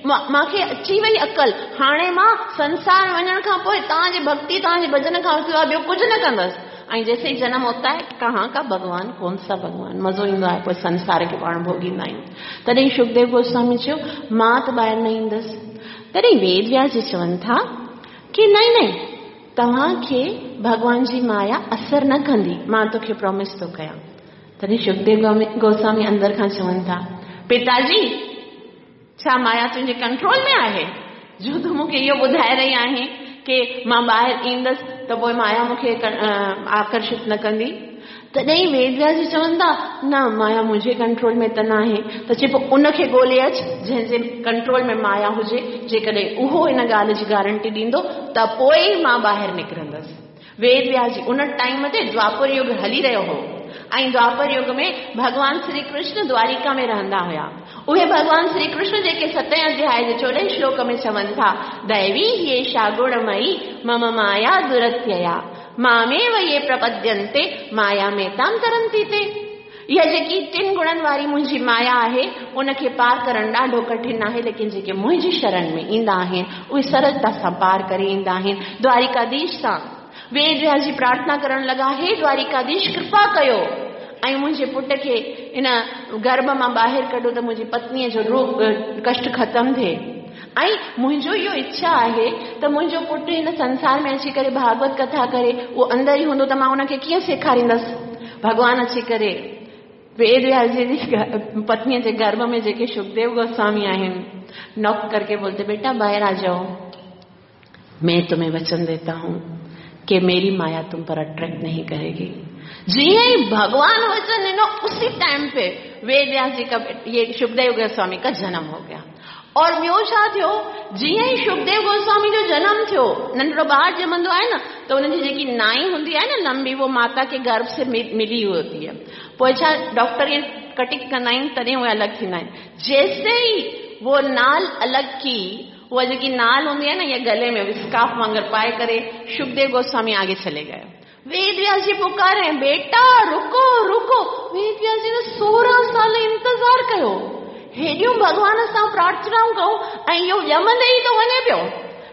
मूंखे अची वई अकल, हाणे मां संसार वञण खां पोइ तव्हांजी भक्ति तव्हांजे भॼन खां सिवाइ ॿियो कुझु न कंदसि। ऐं जैसे ही जन्म होता है, कहाँ का भगवान, कौन सा भगवान, मज़ो ईंदो आहे, पोइ संसार खे पाण भोगींदा आहियूं। तॾहिं सुखदेव गोस्वामी चयो, मां त ॿाहिरि न ईंदसि। तॾहिं वेद व्यास जी चवनि था की नहीं नहीं, तव्हांखे भॻवान जी माया असर न कंदी, मां तोखे प्रॉमिस थो कयां। तॾहिं सुखदेव गोस्वामी अंदरि खां चवनि था, पिताजी छा माया तुंहिंजे कंट्रोल में आहे, जो तूं मूंखे इहो ॿुधाए रही आहीं की मां ॿाहिरि ईंदसि त पोइ माया मूंखे आकर्षित न कंदी? तॾहिं वेद व्यास जी चवनि था, न माया मुंहिंजे कंट्रोल में त न आहे। त चए पोइ उनखे ॻोल्हे अचु जंहिंजे कंट्रोल में माया हुजे, जेकॾहिं उहो इन ॻाल्हि जी गारंटी ॾींदो त पोइ मां ॿाहिरि निकिरंदसि। वेद व्यास जी उन टाइम ते द्वापर युग हली रहियो हो ऐं द्वापर युग में भॻवान श्री कृष्ण द्वारिका में रहंदा हुया। उहे भॻवान श्री कृष्ण जेके 7 अध्याय जे 14 श्लोक में चवनि था, दैवी ह्येषा गुणमयी मम माया दुरत्यया मामेव ये प्रपद्यन्ते माया में ताम तरंती ते। इहा जेकी 3 गुणनि वारी मुंहिंजी माया आहे उनखे पार करणु ॾाढो कठिन आहे, लेकिन जेके मुंहिंजी शरण में ईंदा आहिनि उहे सरलता सां पार करे ईंदा आहिनि। द्वारिकाधीश सां वेद व्यास जी प्रार्थना करण लॻा, हे द्वारिकाधीश कृपा कयो ऐं मुंहिंजे पुट खे इन गर्भ मां ॿाहिरि कढो त मुंहिंजी पत्नीअ जो रोग कष्ट ख़तमु थिए। ऐं मुंहिंजो इहो इच्छा आहे त मुंहिंजो पुटु हिन संसार में अची करे भागवत कथा करे, उहो अंदरि ई हूंदो त मां हुनखे कीअं सेखारींदसि? भॻवान अची करे वेद व्यास जी जी पत्नी जे गर्भ में जेके सुखदेव गोस्वामी आहिनि, नॉक करके बोलते, बेटा बाहर आ जाओ, मैं तुम्हें वचन देता हूं कि मेरी माया तुम पर अट्रैक्ट नहीं करेगी। जीअं ई भगवान वचन ॾिनो, उसी टाइम पे वेद व्यास जी का, ये सुखदेव गोस्वामी का जन्म हो गया। और ॿियो छा थियो, जीअं ई सुखदेव गोस्वामी जो जन्म थियो, नंढड़ो ॿार ॼमंदो आहे न, त हुनजी जेकी नाई हूंदी आहे न लंबी, वो माता के गर्भ से मिली हुई होती है। पोइ छा डॉक्टर ईअं कटिंग कंदा आहिनि, तॾहिं उहे अलॻि थींदा आहिनि। जैसे ही वो नाल अलॻि की, उहा जेकी नाल हूंदी आहे न, इहा गले में स्कार्फ वांगुरु पाए करे सुखदेव गोस्वामी आगे चले गए। वेद व्यास जी पुकारे, बेटा रुको रुको। वेद व्यास जी ने 16 साल इंतज़ार कयो, हेॾियूं भॻवान सां प्रार्थनाऊं कयूं, ऐं इहो ॼमंदे ई थो वञे पियो।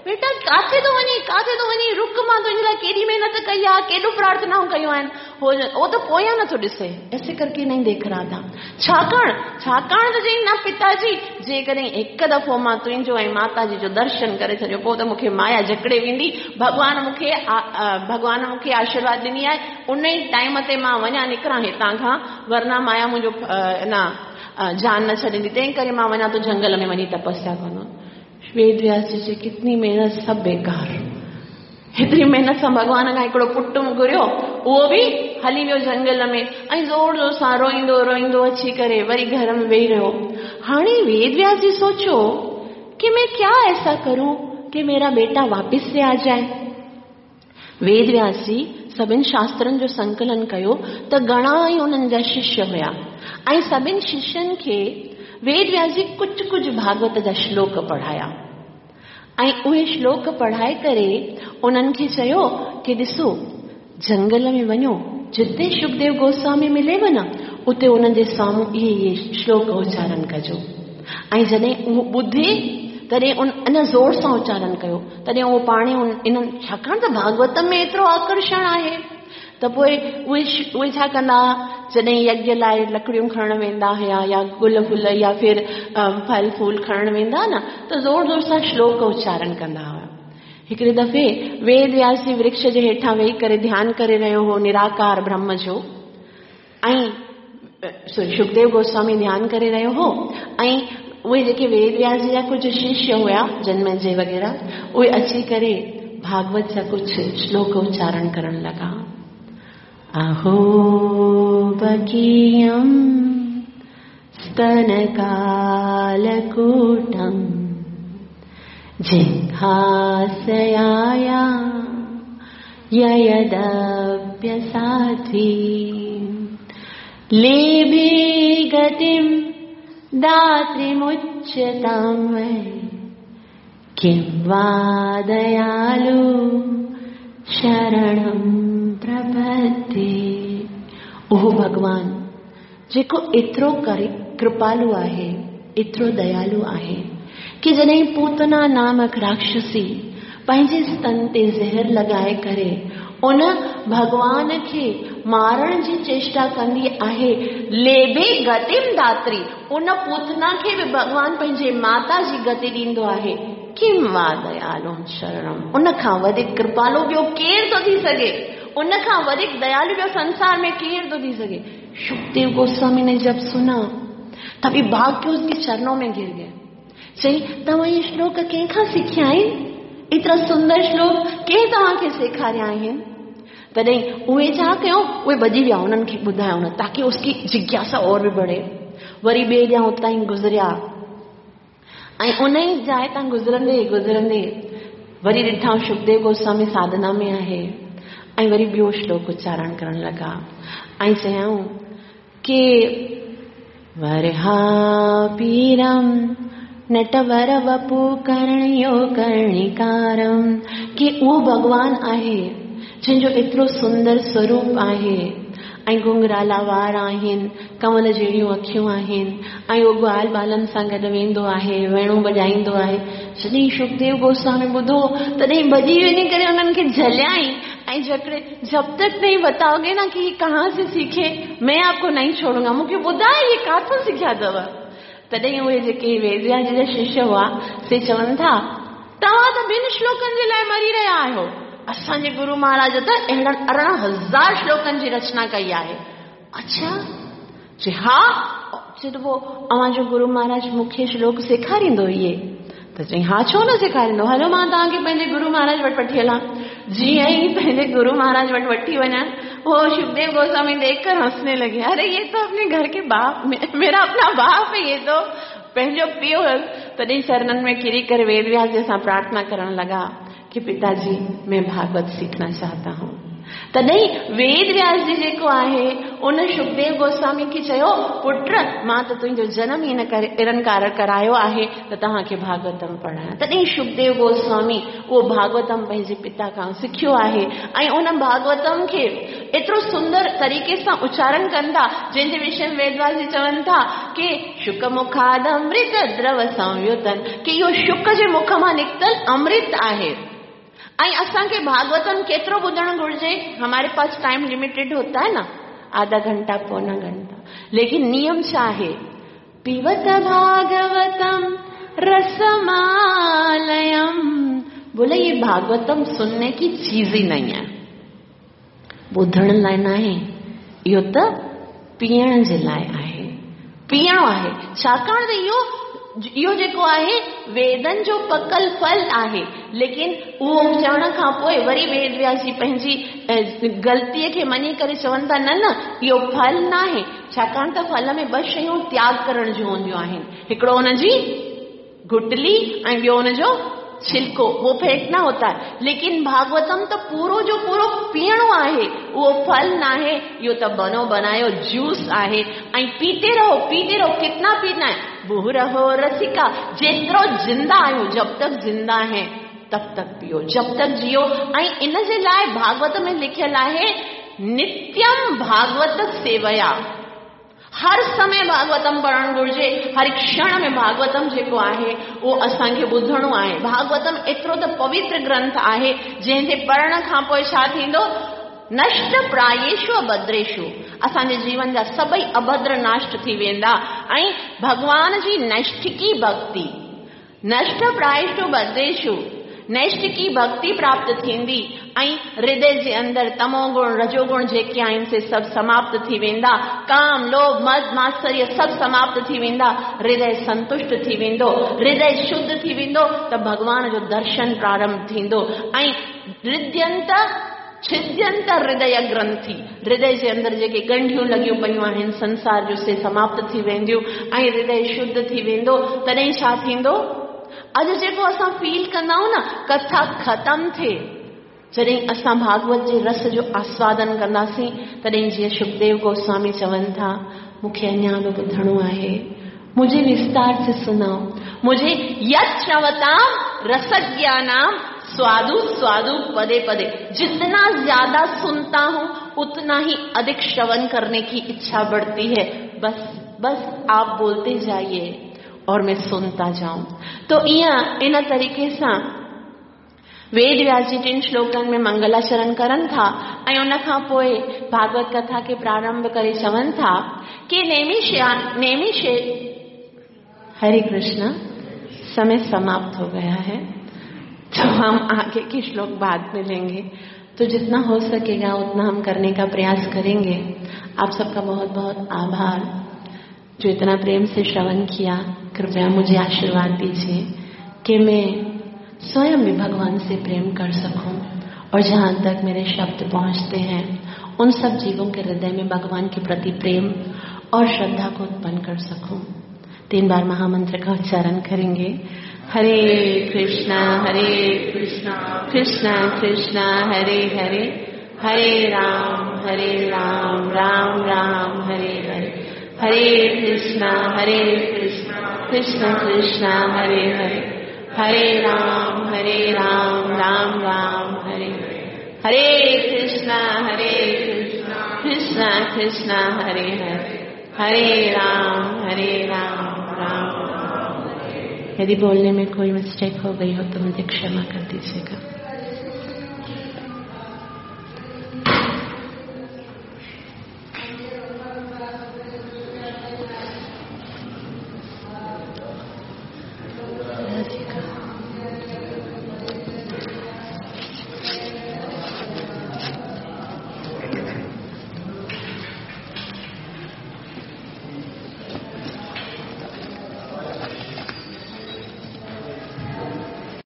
बेटा काथे थो वञी, काथे थो वञी, रुक, मां तुंहिंजे लाइ केॾी महिनत कई आहे, केॾो प्रार्थनाऊं कयूं आहिनि। हो त पोयां नथो ॾिसे, ऐसे करके नहीं देख रहा था। छाकाणि छाकाणि त चई, न पिताजी, जेकॾहिं हिकु दफ़ो मां तुंहिंजो ऐं माताजी जो दर्शन करे छॾियो, पोइ त मूंखे माया जकड़े वेंदी। भॻवान मूंखे आशीर्वाद ॾिनी आहे, उन ई टाइम ते मां वञा निकिरां हितां खां, वरना माया मुंहिंजो न जान न छॾींदी, तंहिं करे मां वञा थो जंगल में वञी तपस्या कंदो। वेद व्यास जी जी कितनी मेहनत, सब बेकार। हेतिरी मेहनत सां भॻवान खां हिकिड़ो पुटु घुरियो, उहो बि हली वियो जंगल में, ऐं ज़ोर ज़ोर सां रोईंदो रोईंदो अची करे वरी घर में वेही रहियो। हाणे वेद व्यास जी सोचो कि मैं क्या ऐसा करूं कि मेरा बेटा वापस से आ जाए। वेद व्यास जी सभिनि शास्त्रनि जो संकलन कयो त घणा ई उन्हनि जा शिष्य हुया, ऐं सभिनि शिष्यनि खे वेद व्यास जी कुझु कुझु भागवत जा श्लोक पढ़ाया, ऐं उहे श्लोक पढ़ाए करे उन्हनि खे चयो कि ॾिसो, जंगल में वञो, जिते सुखदेव गोस्वामी मिलेव न, उते उन्हनि जे साम्हूं इहे इहे श्लोक उच्चारण कजो। ऐं जॾहिं उहो ॿुधे तॾहिं उन अञा ज़ोर सां उच्चारण कयो, तॾहिं उहो पाण इन्हनि, छाकाणि त भागवत में एतिरो आकर्षण आहे, त पोइ उहे उहे छा कंदा, जॾहिं यज्ञ लाइ लकड़ियूं खणण वेंदा हुया या गुल फुल या फिर फल फूल खणण वेंदा न, त ज़ोर ज़ोर सां श्लोक उच्चारण कंदा हुआ। हिकिड़े दफ़े वेद व्यास जी वृक्ष जे हेठां वेही करे ध्यानु करे रहियो हो निराकार ब्रह्म जो, ऐं सुखदेव गोस्वामी ध्यानु करे रहियो हो, ऐं उहे जेके वेद व्यास जी जा कुझु शिष्य हुया, जन्मजय वग़ैरह, उहे अची करे भागवत जा कुझु श्लोक उच्चारण करण लॻा। अहो बकीयं स्तनकालकूटं जिघासयाया ययदप्यसाध्वी लेभे गतिं दात्रिमुच्यतां वै किं वा दयालु शरणं प्रपद्ये। उहो भॻवान जेको एतिरो कृपालु आहे, एतिरो दयालु आहे कि जॾहिं पूतना नामक राक्षसी पंहिंजे स्तन ते ज़हर लॻाए करे उन भॻवान खे मारण जी चेष्टा कंदी आहे, लेभे गतिम दात्री, उन पूतना खे बि भॻवान पंहिंजे माता जी गति ॾींदो आहे। किम वा दयालु शरणम, उन खां वधीक कृपालु ॿियो केरु थो थी सघे, उन खां वधीक दयालु ॿियो संसार में केरु थो थी सघे। सुखदेव गोस्वामी ने जब सुना तभी भाग के उसके चरणों में गिर गए। चई, तव्हां इहे श्लोक कंहिंखां सिखिया आहिनि? एतिरा सुंदर श्लोक कंहिं तव्हांखे सेखारिया आहिनि? तॾहिं उहे छा कयो, उहे भॼी विया उन्हनि खे ॿुधायो न, ताकि उसकी जिज्ञासा और बि बढ़े। वरी ॿिए ॾींहुं उतां ई गुज़रिया ऐं उन ई जाइ तां गुज़रंदे गुज़रंदे वरी ॾिठाऊं सुखदेव गोस्वामी साधना में आहे, ऐं वरी ॿियो श्लोक उच्चारण करण लॻा ऐं चयाऊं कि वरहापीरम नटवर वपु करणयो कर्णिकारम, कि उहो भॻवान आहे जंहिंजो एतिरो सुंदर स्वरूप आहे, ऐं घुंघराला वार आहिनि, कंवल जहिड़ियूं अखियूं आहिनि, ऐं उहो ग्वाल ॿालनि सां गॾु वेंदो आहे, वेणू वॼाईंदो आहे। जॾहिं सुखदेव गोस्वामी ॿुधो तॾहिं भॼी वञी करे उन्हनि खे झलियाई ऐं जकड़े, जब तक नहीं बताओगे ना कि ये कहाँ से सीखे, मैं आपको नहीं छोड़ूंगा, मूंखे ॿुधाए ये काथों सिखिया अथव। तॾहिं उहे जेके वेद व्यास जी जा शिष्य हुआ से चवनि था, तव्हां त ॿिनि श्लोकनि जे लाइ मरी रहिया आहियो, असांजे गुरु महाराज त अहिड़नि 18,000 श्लोकनि जी रचना कई आहे। अच्छा, चए हा, चए त पोइ अव्हांजो गुरु महाराज मूंखे श्लोक सेखारींदो इहे? त चई हा, छो न सेखारींदो, हलो मां तव्हांखे पंहिंजे गुरु महाराज वटि वठी हलां। जीअं ई पंहिंजे गुरु महाराज वटि वठी वञा, वो शुकदेव गोस्वामी देखकर हंसने लगे, अरे ये तो अपने घर के बाप, मेरा अपना बाप है, ये तो पंहिंजो पीउ हुयुसि। तॾहिं चरणनि में किरी करे वेद व्यास जी सां प्रार्थना करण लॻा कि पिताजी मैं भागवत सीखना चाहता हूँ। तॾहिं वेद व्यास जी जेको आहे उन शुकदेव गोस्वामी खे चयो, पुट मां त तुंहिंजो जनम ई इन कारण करायो आहे त तव्हांखे भागवतम पढ़ायां। तॾहिं शुकदेव गोस्वामी उहो भागवतम पंहिंजे पिता खां सिखियो आहे ऐं उन भागवतम खे एतिरो सुंदर तरीक़े सां उच्चारण कनि था, जंहिंजे विषय में वेद व्यास जी चवनि था कि शुक मुखाद अमृत द्रव संयुतन, कि इहो शुक जे मुख मां निकितल अमृत आहे। ऐं असांखे भागवतम केतिरो ॿुधणु घुर्जे? हमारे पास टाइम लिमिटेड होता है ना, आधा घंटा पौना घंटा, लेकिन नियम छा आहे? पीवत भागवतम रसमालयम। बोले ये भागवतम सुनने की चीज ही नहीं है, ॿुधण लाइ न आहे, इहो त पीअण जे लाइ आहे, पीअणो आहे। छाकाणि त इहो जेको आहे वेदन जो पकल फल आहे। लेकिन उहो चवण खां पोइ वरी वेद व्यास जी पंहिंजी ग़लतीअ खे मञी करे चवनि था, न न इहो फल न आहे, छाकाणि त फल में ॿ शयूं त्याग करण जूं हूंदियूं आहिनि, हिकिड़ो हुनजी गुटली ऐं ॿियो हुनजो छिलको, वो फेंकना होता है। लेकिन भागवतम त पूरो जो पूरो पीअणो आहे, उहो फल न आहे, इहो त बनो बनायो जूस आहे। ऐं पीते रहो पीते रहो, कितना पीना है, बुह रहो रसिका, जेतिरो ज़िंदा आहियूं, जब तक ज़िंदा है तब तक पियो, जब तक जियो। ऐं इन जे लाइ भागवत में लिखियल आहे नित्यम भागवत सेवया, हर समय भागवतम पढ़णु घुर्जे, हर क्षण में भागवतम जेको आहे उहो असांखे ॿुधणो आहे। भागवतम एतिरो त पवित्र ग्रंथ आहे जंहिंजे पढ़ण खां पोइ छा थींदो? नष्ट प्रायेषु अभद्रेषु, असांजे जीवन जा सभई अभद्र नष्ट थी वेंदा। ऐं भॻवान जी नैष्ठिकी भक्ति, नष्ट प्रायेषु भद्रेषु, नैष्ठिकी भक्ति प्राप्त थींदी ऐं हृदय जे अंदरि तमोगुण रजोगुण जेके आहिनि से सभु समाप्त थी वेंदा, काम लोभ मद मात्सर्य सभु समाप्त थी वेंदा, हृदय संतुष्ट थी वेंदो, हृदय शुद्ध थी वेंदो, त भॻवान जो दर्शन प्रारंभ थींदो। ऐं हृदयंत छिद्यंत हृदय ग्रंथि, हृदय जे अंदरि जेके ॻंढियूं लॻियूं पयूं आहिनि संसार जो से समाप्त थी वेंदियूं ऐं हृदय शुद्ध थी वेंदो। तॾहिं छा थींदो? अॼु जेको असां फील कंदा आहियूं न, कथा ख़तम थिए, जॾहिं असां भागवत जे रस जो आस्वादन कंदासीं, तॾहिं जीअं शुकदेव गोस्वामी चवनि था, मूंखे अञा बि ॿुधणो आहे, मुझे विस्तार से सुनाओ, मुझे यत् श्रवताम रसज्ञानाम स्वादु स्वादु पदे पदे, जितना ज्यादा सुनता हूं उतना ही अधिक श्रवण करने की इच्छा बढ़ती है, बस बस आप बोलते जाइए और मैं सुनता जाऊं। तो इया इन तरीके सां वेद व्यास जी टिनि श्लोकनि में मंगलाचरण करनि था ऐं उन खां पोइ भागवत कथा खे प्रारंभ करे चवनि था कि नेमिषे। हरे कृष्ण, समय समाप्त हो गया है तो हम आगे के श्लोक बाद में लेंगे, तो जितना हो सकेगा उतना हम करने का प्रयास करेंगे। आप सबका बहुत बहुत आभार जो इतना प्रेम से श्रवण किया। कृपया मुझे आशीर्वाद दीजिए कि मैं स्वयं भी भगवान से प्रेम कर सकूं और जहां तक मेरे शब्द पहुंचते हैं उन सब जीवों के हृदय में भगवान के प्रति प्रेम और श्रद्धा को उत्पन्न कर सकूं। 3 बार महामंत्र का उच्चारण करेंगे। हरे कृष्णा हरे कृष्णा कृष्णा कृष्णा हरे हरे, हरे राम राम राम हरे हरे, हरे कृष्णा कृष्णा कृष्णा हरे हरे, हरे राम राम राम हरे हरे, हरे कृष्णा कृष्णा कृष्णा हरे हरे, हरे राम राम राम। यदि बोलने में कोई मिस्टेक हो गई हो तो मुझे क्षमा कर दीजिएगा।